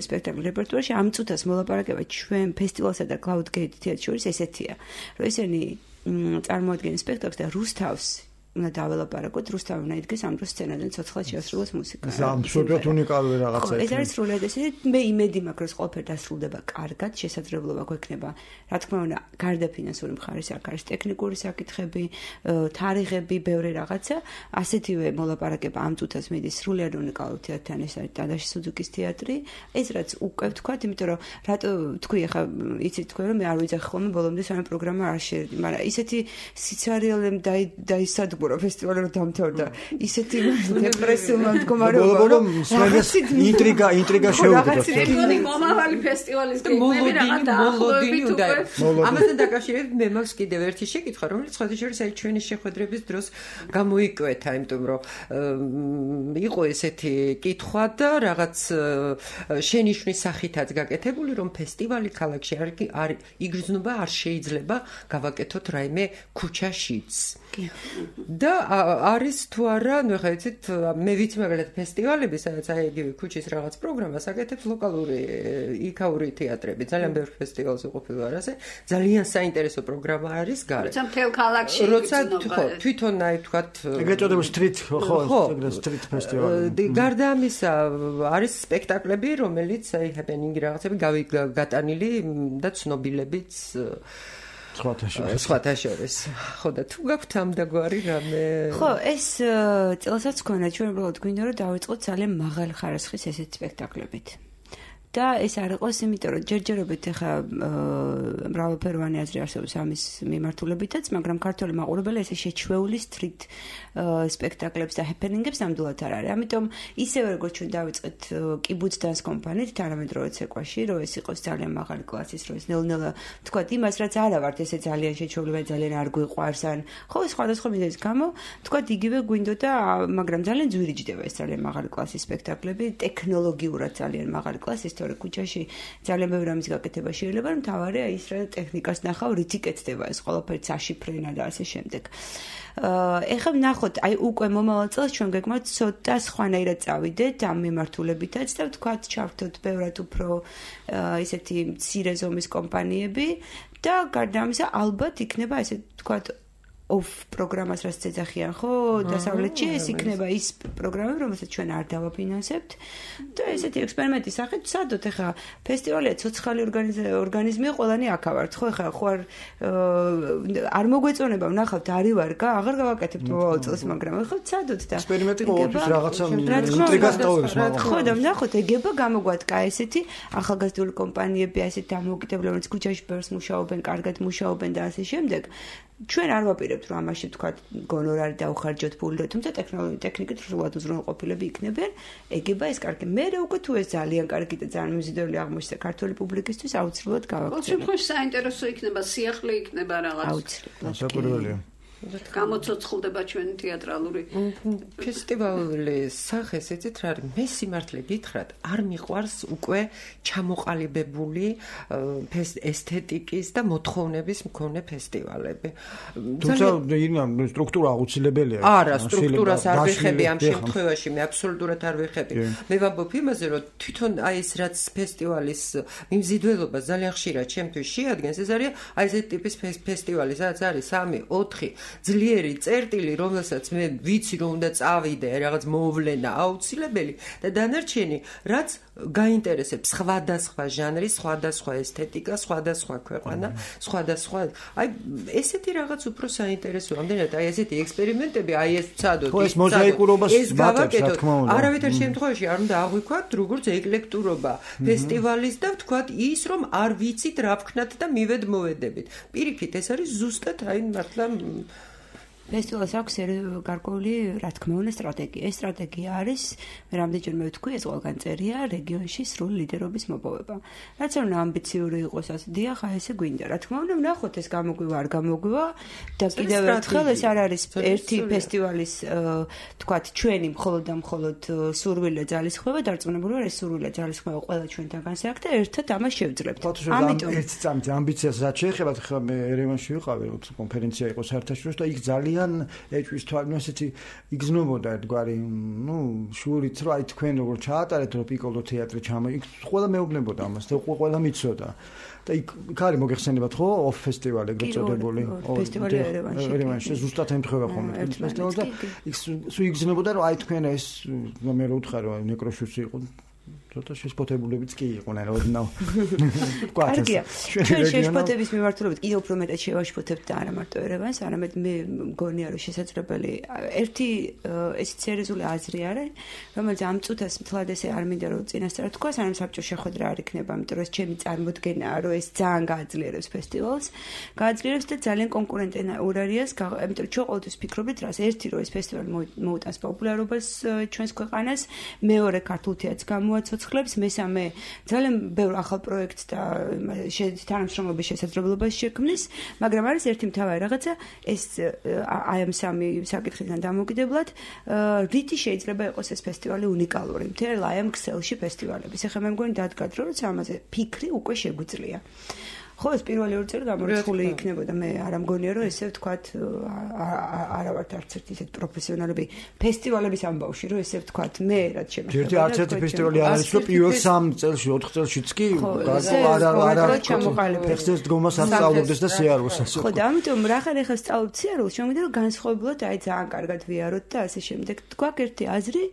სპექტაკლი რეპერტუარში, ამ წუთას მოლაპარაკება ჩვენ ფესტივალსა და Cloud Gate თეატრს შორის ესეთია, რომ ისინი წარმოადგენენ სპექტაკლს და რუსთავს უნდა დაველაპარაკოთ, რუსთავი უნდა იდგეს ამ დროს სცენაზე ცოცხლად შეასრულოს მუსიკა. ეს აბსოლუტურად უნიკალური რაღაცაა. ეს არის სრულად ესეთი, მე იმედი მაქვს, რომ ყველაფერი დასრულდება კარგად, შესაძლებლობა გვექნება, რა თქმა უნდა, გარდა ფინანსური მხარის აქ არის ტექნიკური საკითხები, თარიღები, ბევრი რაღაცა, ასეთივე მოლაპარაკება ამ წუთას მიდის სრულად უნიკალურ თეატრთან, ეს არის დადაში სუძუკის თეატრი, ეს რაც უკვე ვთქვათ, იმიტომ რომ რატო თქვი ახლა იცით თქვენ რომ მე არ ვიძახი ხოლმე ბოლომდე სამი პროგრამა არ შეერდი, მაგრამ ისეთი სიცარიელემ დაისად ფესტივალი რომ დამთავრდა ისეთი დეპრესიულმა მდგომარეობა რომ ინტრიგა შევიდროთ მომავალი ფესტივალის გეგმები რაღაც დაახლოებით უკვე ამასთან დაკავშირებით მე მაქვს კიდევ ერთი შეკითხვა რომელიც ხოთი შორის აი ჩვენი შეხვედრების დროს გამოიკვეთა იმიტომ რომ იყო ესეთი კითხვა და რაღაც შენიშვნის სახითაც გაკეთებული რომ ფესტივალი ქალაქში არ იგრძნობა არ შეიძლება გავაკეთოთ რაიმე ქუჩაშიც და არის თუ არა, ნუ ხა იცით, მე ვიცი მაგალითად ფესტივალები, სადაც აი იგივე ქუჩის რაღაც პროგრამას აკეთებს ლოკალური იქაური თეატრები, ძალიან ბევრ ფესტივალზე ყოფილი ვარ ასე, ძალიან საინტერესო პროგრამა არის გარეთ. როცა მთელ ქალაქში როცა ხო, თვითონ აი თქვათ ეგრეთ წოდებული street ხო, street ფესტივალი. გარდა ამისა არის სპექტაკლები, რომელიც აი happening რაღაცები გატანილი და ცნობილებიც სხვათა შორის. ხო და თუ გაქვთ ამ დაგვარი რამე? ხო, ეს წელსაც ქონა ჩვენ უბრალოდ გვინდა რომ დავიწყოთ ძალიან მაღალი ხარისხის ესეთ სპექტაკლებით. და ეს არ იყოს, იმიტომ რომ ჯერჯერობით ახლა მრავალფეროვანი აზრი არსებობს ამის მიმართულებითაც, მაგრამ ქართველი მაყურებელი ესე შეჩვეული სტრით სპექტაკლებს და ჰეპენინგებს ნამდვილად არ არის. ამიტომ ისევე როგორც ჩვენ დავიწყეთ კიბუც დანს კომპანიით, თანამედროვე ცეკვაში, რომ ეს იყოს ძალიან მაღალი კლასის, რომ ეს ნელ-ნელა თქვათ იმას, რაც არა ვართ, ესე ძალიან შეჩვეული და ძალიან არ გვიყვარს, ან ხო, სხვადასხვა მიზეზის გამო, თქვათ იგივე გვინდოდა, მაგრამ ძალიან ძვირიჯდება ეს ძალიან მაღალი კლასის სპექტაკლები, ტექნოლოგიურად ძალიან მაღალი კლასის თორე ქუჩაში ძალიან ბევრი რამის გაკეთება შეიძლება, რომ თავარია ის რა ტექნიკას ნახავ, რითი კეთდება ეს ყველაფერი საშიფრენა და ასე შემდეგ. ეხლა ვნახოთ, აი უკვე მომავალ წელს ჩვენ გეკმოთ ცოტა სხვანაირად წავიდეთ ამ მიმართულებითაც და ვთქვათ, ჩავთოთ ბევრად უფრო ისეთი მცირე ზომის კომპანიები და გარდა ამისა ალბათ იქნება ესე ვთქვათ off პროგრამას რაც ეძახიან, ხო, დასავლეთში ეს იქნება ის პროგრამები, რომელსაც ჩვენ არ დავაფინანსებთ და ესეთი ექსპერიმენტის სახით ვსადოთ, ეხლა ფესტივალია ცოცხალი ორგანიზმია, ყველანი აქავართ, ხო, ეხლა ხო არ მოგვეწონება, ვნახავთ, არის ვარ, აღარ გავაკეთებთ მომავალ წელს, მაგრამ ეხლა ვსადოთ და ექსპერიმენტი ყოველთვის რაღაცა ინტრიგას ტოვებს, მაგრამ ხო და ვნახოთ, ეგება გამოგვადგა ესეთი ახალგაზრდული კომპანიები, ასეთ დამოუკიდებლები, ქუჩაში ბევრს მუშაობენ, კარგად მუშაობენ და ასე შემდეგ. ჩვენ არ ვაპირებთ რომ ამაში თქვათ გონორარი დაუხარჯოთ ფული, თუმცა ტექნიკით სრულად უზრუნველყოფილები იქნებიან, ეგება ეს კარგი. მე უკვე თუ ეს ძალიან კარგი და ძალიან მიზიდველი აღმოჩნდა ქართული პუბლიკისთვის, აუცილებლად გავაკეთებ. ყოველ შემთხვევაში საინტერესო იქნება, სიახლე იქნება რაღაც. აუცილებლად. საკვირველია. გამოცოცხლდება ჩვენი თეატრალური ფესტივალის სახეს ეცეთ რა არის მე სიმართლე გითხრათ არ მიყვარს უკვე ჩამოყალიბებული ესთეტიკის და მოთხოვნების მქონე ფესტივალები. თუმცა სტრუქტურა აუცილებელია. არა, სტრუქტურას არ ვიხები ამ შემთხვევაში, მე აბსოლუტურად არ ვიხები. მე ვამბობ იმაზე, რომ თვითონ აი ეს რაც ფესტივალის მიმზიდველობა ძალიან ხშირად ჩემთვის შეადგენს, ეს არის აი ეს ტიპის ფესტივალი, სადაც არის 3-4 ძლიერი წერტილი, რომელსაც მე ვიცი რომ უნდა წავიდე, რაღაც მოვლენა აუცილებელი და დანარჩენი რაც გაინტერესებს სხვადასხვა ჟანრი, სხვადასხვა ესთეტიკა, სხვადასხვა ქვეყანა, სხვადასხვა აი ესეთი რაღაც უფრო საინტერესოა. ამდენად აი ესეთი ექსპერიმენტები, აი ეს ვცადოთ, ეს მოზაიკურობას ვატებს, რა თქმა უნდა. არავითარ შემთხვევაში არ უნდა აღვიქვათ როგორც ეკლექტურობა ფესტივალის და ვთქვათ ის რომ არ ვიცით რა ვქნათ და მივედმოვედებით. პირიქით ეს არის ზუსტად აი მართლა ფესტივალს აქვს გარკვეული, რა თქმა უნდა, სტრატეგია. ეს სტრატეგია არის, რამდენჯერმე ვთქვი, ეს ყველგან წერია რეგიონში სრული ლიდერობის მოპოვება. რაც არ უნდა ამბიციური იყოს, ასე დიახ, აი ესე გვინდა. რა თქმა უნდა, ვნახოთ ეს გამოგვივა, არ გამოგვივა და კიდევ ერთხელ ეს არ არის ერთი ფესტივალის, თქვათ, ჩვენი მხოლოდ და მხოლოდ სურვილე ძალისხმევა, დარწმუნებული ვარ, ეს სურვილე ძალისხმევა ყველა ჩვენთან განსაკუთრებით და ერთად ამას შევძლებთ. ამიტომ ერთ წამით ამბიციას რაც შეეხება, ხა მე ერევანში ვიყავი, კონფერენცია იყო საერთაშორისო და იქ ძალიან ეჭვის თვალს ესეთი იგზნობოდა ერთგვარი შურით რომ აი თქვენ როგორ ჩაატარეთ რომ პიკოლო თეატრი იქ ყველა მეუბნებოდა ამას და ყველა მიცოდა და იქ არის მოგეხსენებათ ხო ოფ ფესტივალი ეგრეთ წოდებული ფესტივალი ერევანში ზუსტად ემთხვევა ხოლმე ფესტივალს და იქ სულ იგზნობოდა რომ აი თქვენ ეს მე რო ვთხარ რომ ნეკროშუსი იყო ცოტა შეშფოთებულებიც კი იყვნენ ოდნავ. კარგია. ჩვენ შეშფოთების მიმართულებით კიდევ უფრო მეტად შევაშფოთებთ და არა მარტო ერევანს, არამედ მე მგონია რომ შესაძლებელი ერთი ესეც სერიოზული აზრი არის, რომელიც ამ წუთას მთლად ესე არ მინდა რომ წინასწარ თქვა, სანამ საბჭო შეხვედრა არ იქნება, იმიტომ რომ ეს ჩემი წარმოდგენაა, რომ ეს ძალიან გააძლიერებს ფესტივალს, გააძლიერებს და ძალიან კონკურენტუარიას, იმიტომ რომ ჩვენ ყოველთვის ვფიქრობთ, რას ერთი რომ ეს ფესტივალი მოუტანს პოპულარობას ჩვენს ქვეყანას, მეორე ქართულ თეატრს მოაცოცხლებს, მესამე ძალიან ბევრ ახალ პროექტს და თანამშრომლობის შესაძლებლობას შექმნის, მაგრამ არის ერთი მთავარი რაღაცა, ეს აი ამ სამი საკითხიდან დამოკიდებლად, რითი შეიძლება იყოს ეს ფესტივალი უნიკალური, მთელ აი ამ ქსელში ფესტივალების. ეხლა მე მგონი დადგათ, რომ ამაზე ფიქრი უკვე შეგვიძლია. ხო, ეს პირველი ორი წელი გამორიცხული იქნებოდა. მე არ ამგონია, რომ ესე ვთქვათ, არა ვართ არც ერთი ისეთ პროფესიონალები ფესტივალების ამბავში, რომ ესე ვთქვათ, მე რაც შემიძლია. ერთი არც ერთი ფესტივალი არ არის, რომ პირველ 3 წელში, 4 წელშიც კი არა ფესტივალის დგომას არ სწავლობდეს და სიარულს ასე. ხო, და ამიტომ რახან ეხლა სწავლობთ სიარულს, შემიძლია რომ განსხვავებულად აი ძალიან კარგად ვიაროთ და ასე შემდეგ. გვაქვს ერთი აზრი,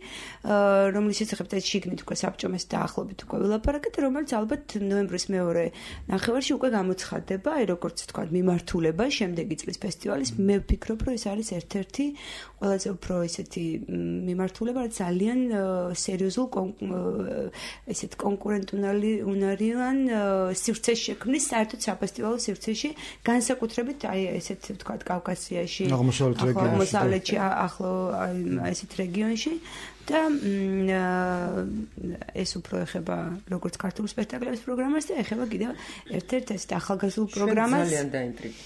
რომლის შესახებ ეს შიგნით უკვე საბჭომეს დაახლოებით უკვე ვილაპარაკეთ, რომელიც ალბათ ნოემბრის მეორე ნახევარში უკვე გამოცხადდება, აი როგორც თქვა, მიმართულება შემდეგი წლის ფესტივალის. მე ვფიქრობ, რომ ეს არის ერთ-ერთი ყველაზე უფრო ისეთი მიმართულება, რაც ძალიან სერიოზულ ესეთ კონკურენტუნარიან სივრცეში შექმნის, საერთოდ საფესტივალო სივრცეში, განსაკუთრებით აი ესეთ თქვა, კავკასიაში, აღმოსავლეთში, ახლო ესეთ რეგიონში. და ეს უფრო ეხება როგორც ქართულ სპექტაკლების პროგრამას და ეხება კიდევ ერთ-ერთ ეს ახალგაზრდულ პროგრამას. ძალიან დაინტრიგა.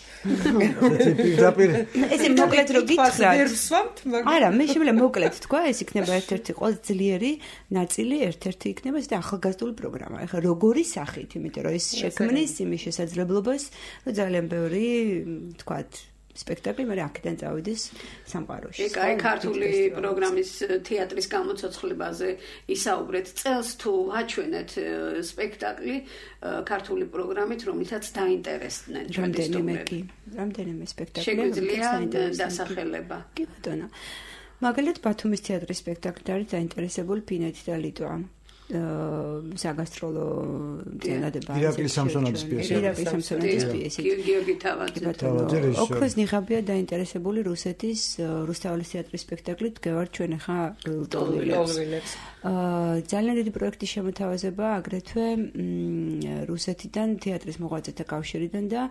ესე მოკლედ რო გითხრათ. არა, მე შემიძლია მოკლედ თქვა, ეს იქნება ერთ-ერთი ყველაზე ძლიერი ნაწილი, ერთ-ერთი იქნება ეს ახალგაზრდული პროგრამა. ეხლა როგორი სახით, იმიტომ რომ ეს შექმნის იმის შესაძლებლობას, რომ ძალიან ბევრი თქვათ სპექტაკლი მე აქედან წავიდეს სამყაროში. აი ქართული პროგრამის თეატრის გამოცოცხლებაზე ისაუბრეთ. წელს თუ აჩვენეთ სპექტაკლი ქართული პროგრამით, რომელსაც დაინტერესდნენ ჩვენდენიმეგი. რამდენიმე სპექტაკლი შეგვიძლია დასახელება. კი ბატონო. მაგალითად ბათუმის თეატრის სპექტაკლით არის დაინტერესებული ფინეთი და ლიტვა. საგასტროლო წინადება ირაკლი სამსონაძის პიესი. ირაკლი სამსონაძის პიესი. გიორგი თავაძე. ოქროს ნიღაბია დაინტერესებული რუსეთის რუსთაველის თეატრის სპექტაკლით გევართ ჩვენ ახლა ლტოლვილებს. ძალიან დიდი პროექტის შემოთავაზება აგრეთვე რუსეთიდან თეატრის მოღვაწეთა კავშირიდან და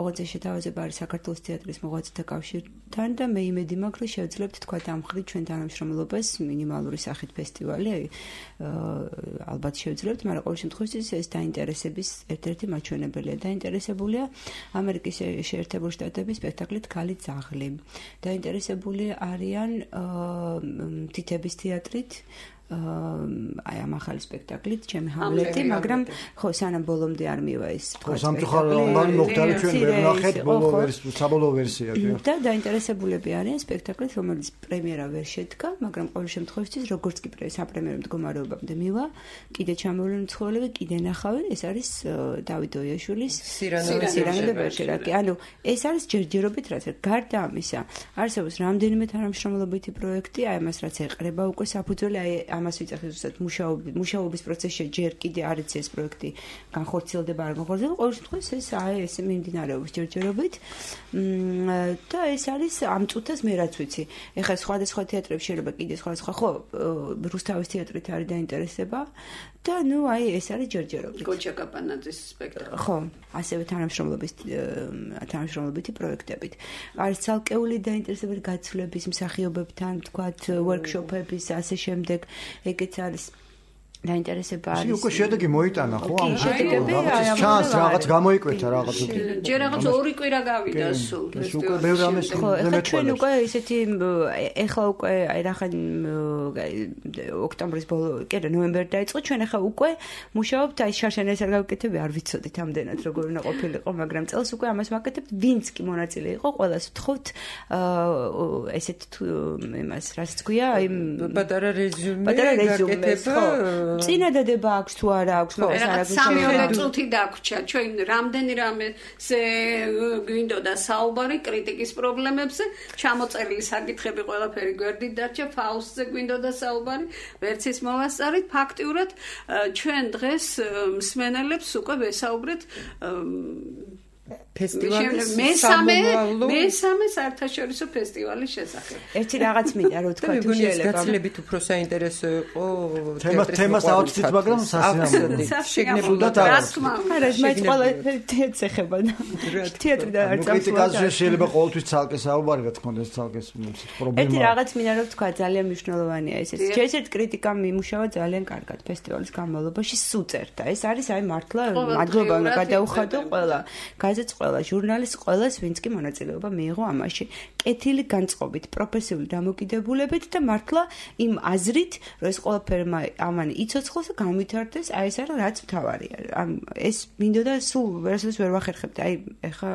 ოღონდ შეთავაზება არის საქართველოს თეატრის მოღვაწეთა კავშირთან და მე იმედი მაქვს რომ შევძლებთ თქვა ამ ხრი ჩვენ თანამშრომლობას მინიმალური სახით ფესტივალი ალბათ შევძლებთ, მაგრამ ყოველ შემთხვევაში ეს დაინტერესების ერთ-ერთი მაჩვენებელია. დაინტერესებულია ამერიკის შეერთებული შტატების სპექტაკლით ქალი ძაღლი. დაინტერესებული არიან თითების თეატრით, აი ამ ახალი სპექტაკლით, ჩემი ჰამლეტი, მაგრამ ხო, სანამ ბოლომდე არ მივა ეს თქვა სამწუხაროდ მოხდარი ჩვენ ვერ ნახეთ საბოლოო ვერსია. და დაინტერესებულები არიან სპექტაკლით, რომელიც პრემიერა ვერ შედგა, მაგრამ ყოველ შემთხვევაში როგორც კი საპრემიერო მდგომარეობამდე მივა, კიდე ჩამოვლენ ცხოველები, კიდე ნახავენ, ეს არის დავით ოიაშვილის სირანო და ბერჟერაკი. ანუ ეს არის ჯერჯერობით რაც გარდა ამისა, არსებობს რამდენიმე თანამშრომლობითი პროექტი, აი ამას რაც ეყრება უკვე საფუძველი, აი ამას ვიწახეთ ზუსტად მუშაობის პროცესში ჯერ კიდე არ იცი ეს პროექტი განხორციელდება არ განხორციელდება ყოველ შემთხვევაში ეს ეს მიმდინარეობს ჯერჯერობით და ეს არის ამ წუთას მე რაც ვიცი ეხლა სხვადასხვა თეატრებში შეიძლება კიდე სხვადასხვა ხო რუსთავის თეატრით არის დაინტერესება და ნუ აი ეს არის ჯერჯერობით გოჩა კაპანაძის სპექტაკლი ხო ასევე თანამშრომლობითი პროექტებით არის ცალკეული დაინტერესებული გაცვლების მსახიობებთან თქვათ ვორქშოპების ასე შემდეგ ეგეც არის დაინტერესება არის. უკვე შედეგი მოიტანა ხო? ამ რაღაცის ჩანს რაღაც გამოიკვეთა რაღაც. ჯერ რაღაც ორი კვირა გავიდა სულ ფესტივალში. მე რამეს ეხლა ჩვენ უკვე ისეთი ეხლა უკვე აი რახან ოქტომბრის ბოლო, კი რა ნოემბერი დაიწყო, ჩვენ ეხლა უკვე მუშაობთ აი შარშანეს არ გავკეთები, არ ვიცოდით ამდენად როგორ უნდა ყოფილიყო, მაგრამ წელს უკვე ამას ვაკეთებთ, ვინც კი მონაწილე იყო, ყველას ვთხოვთ ესეთ იმას რაც თქვია, აი პატარა რეზუმე წინადადება აქვს თუ არა აქვს ყოველს არაფერს სამი წუთი დაგვრჩა ჩვენ რამდენი რამეზე გვინდოდა საუბარი კრიტიკის პრობლემებზე ჩამოწერილი საკითხები ყველაფერი გვერდით დარჩა ფაუსტზე გვინდოდა საუბარი ვერც ის მოვასწარით ფაქტიურად ჩვენ დღეს მსმენელებს უკვე ვესაუბრეთ ფესტივალის მესამე საერთაშორისო ფესტივალის შესახებ. ერთი რაღაც მინდა რომ თქვა თუ შეიძლება გაცილებით უფრო საინტერესო იყო თემას ავწვით, მაგრამ სასიამოვნო. შეგნებულად არა, მაინც ყველა თეატრს ეხება და თეატრი და არც კრიტიკაზე შეიძლება ყოველთვის ცალკე საუბარი რა თქმა უნდა ეს ცალკე პრობლემა. ერთი რაღაც მინდა რომ თქვა ძალიან მნიშვნელოვანია ეს. შეიძლება კრიტიკა მიმუშავა ძალიან კარგად ფესტივალის განმავლობაში სუწერდა. ეს არის აი მართლა მადლობა უნდა გადაუხადო ყველა. გაზეთს ყველა ჟურნალისტს ყველას ვინც კი მონაწილეობა მიიღო ამაში. კეთილი განწყობით, პროფესიული დამოკიდებულებით და მართლა იმ აზრით, რომ ეს ყველაფერი ამან იცოცხლოს და განვითარდეს, აი ეს არის რაც მთავარია. ეს მინდოდა სულ ვერასოდეს ვერ ვახერხებთ. აი ეხა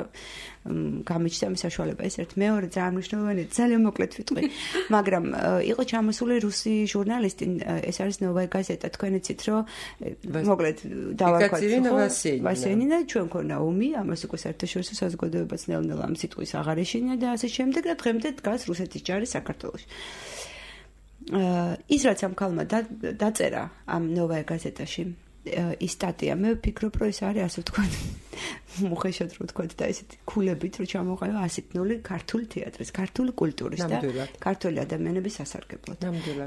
გამიჩნდა მის საშუალება ეს ერთ მეორე ძალიან მნიშვნელოვანია, ძალიან მოკლედ ვიტყვი. მაგრამ იყო ჩამოსული რუსი ჟურნალისტი, ეს არის ნოვაია გაზეტა, თქვენ იცით, რომ მოკლედ დავარქვათ ვასენინა, ჩვენ ქონა ომი, ამას უკვე საერთაშორისო საზოგადოებაც ნელ-ნელა ამ სიტყვის აღარ ეშინია და ასე შემდეგ და დღემდე დგას რუსეთის ჯარი საქართველოში. ის რაც ამ ქალმა დაწერა ამ ნოვაია გაზეტაში ის სტატია მე ვფიქრობ რომ ეს არის ასე ვთქვათ მოხეშად რო ვთქვათ და ესეთი ქულებით რომ ჩამოყალიბა 100 ქართული თეატრის, ქართული კულტურის და ქართული ადამიანების სასარგებლოდ.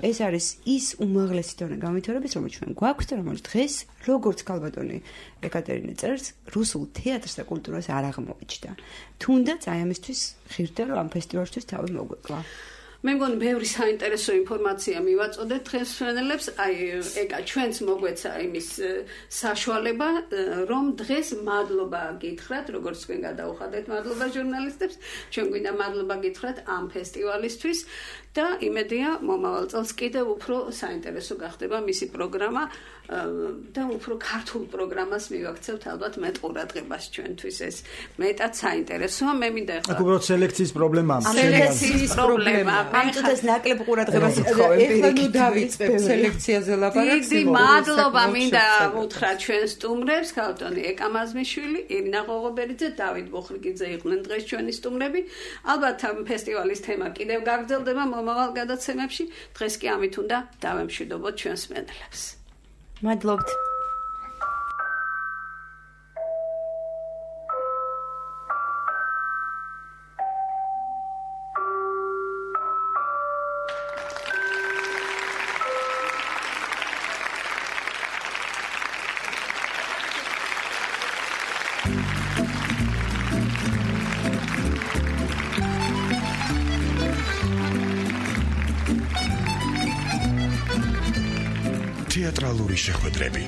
ეს არის ის უმაღლესი დონე განვითარების რომელიც ჩვენ გვაქვს და რომელიც დღეს როგორც ქალბატონი ეკატერინე წერს რუსულ თეატრს და კულტურას არ აღმოიჩნდა. თუნდაც აი ამისთვის ხირდა რომ ამ ფესტივალისთვის თავი მოგვეკლა. მე მგონი ბევრი საინტერესო ინფორმაცია მივაწოდეთ დღეს ჩვენელებს, აი ეკა ჩვენც მოგვეცა იმის საშუალება, რომ დღეს მადლობა გითხრათ, როგორც თქვენ გადაუხადეთ მადლობა ჟურნალისტებს, ჩვენ გვინდა მადლობა გითხრათ ამ ფესტივალისთვის და იმედია მომავალ წელს კიდევ უფრო საინტერესო გახდება მისი პროგრამა და უფრო ქართულ პროგრამას მივაქცევთ ალბათ მეტ ყურადღებას ჩვენთვის ეს მეტად საინტერესოა. მე მინდა ახლა აქ უბრალოდ სელექციის პრობლემაა. სელექციის პრობლემა. ამ წუთას ნაკლებ ყურადღებას უთხოვენ. ეხლა ნუ დავიწყებ სელექციაზე ლაპარაკს. დიდი მადლობა მინდა უთხრა ჩვენ სტუმრებს, ქალბატონი ეკა მაზმიშვილი, ირინა ღოღობერიძე, დავით ბოხრიკიძე იყვნენ დღეს ჩვენი სტუმრები. ალბათ ამ ფესტივალის თემა კიდევ გაგრძელდება მომავალ გადაცემებში. დღეს კი ამით უნდა დავემშვიდობოთ ჩვენს მსმენელებს. მადლობთ. თეატრალური შეხვედრები.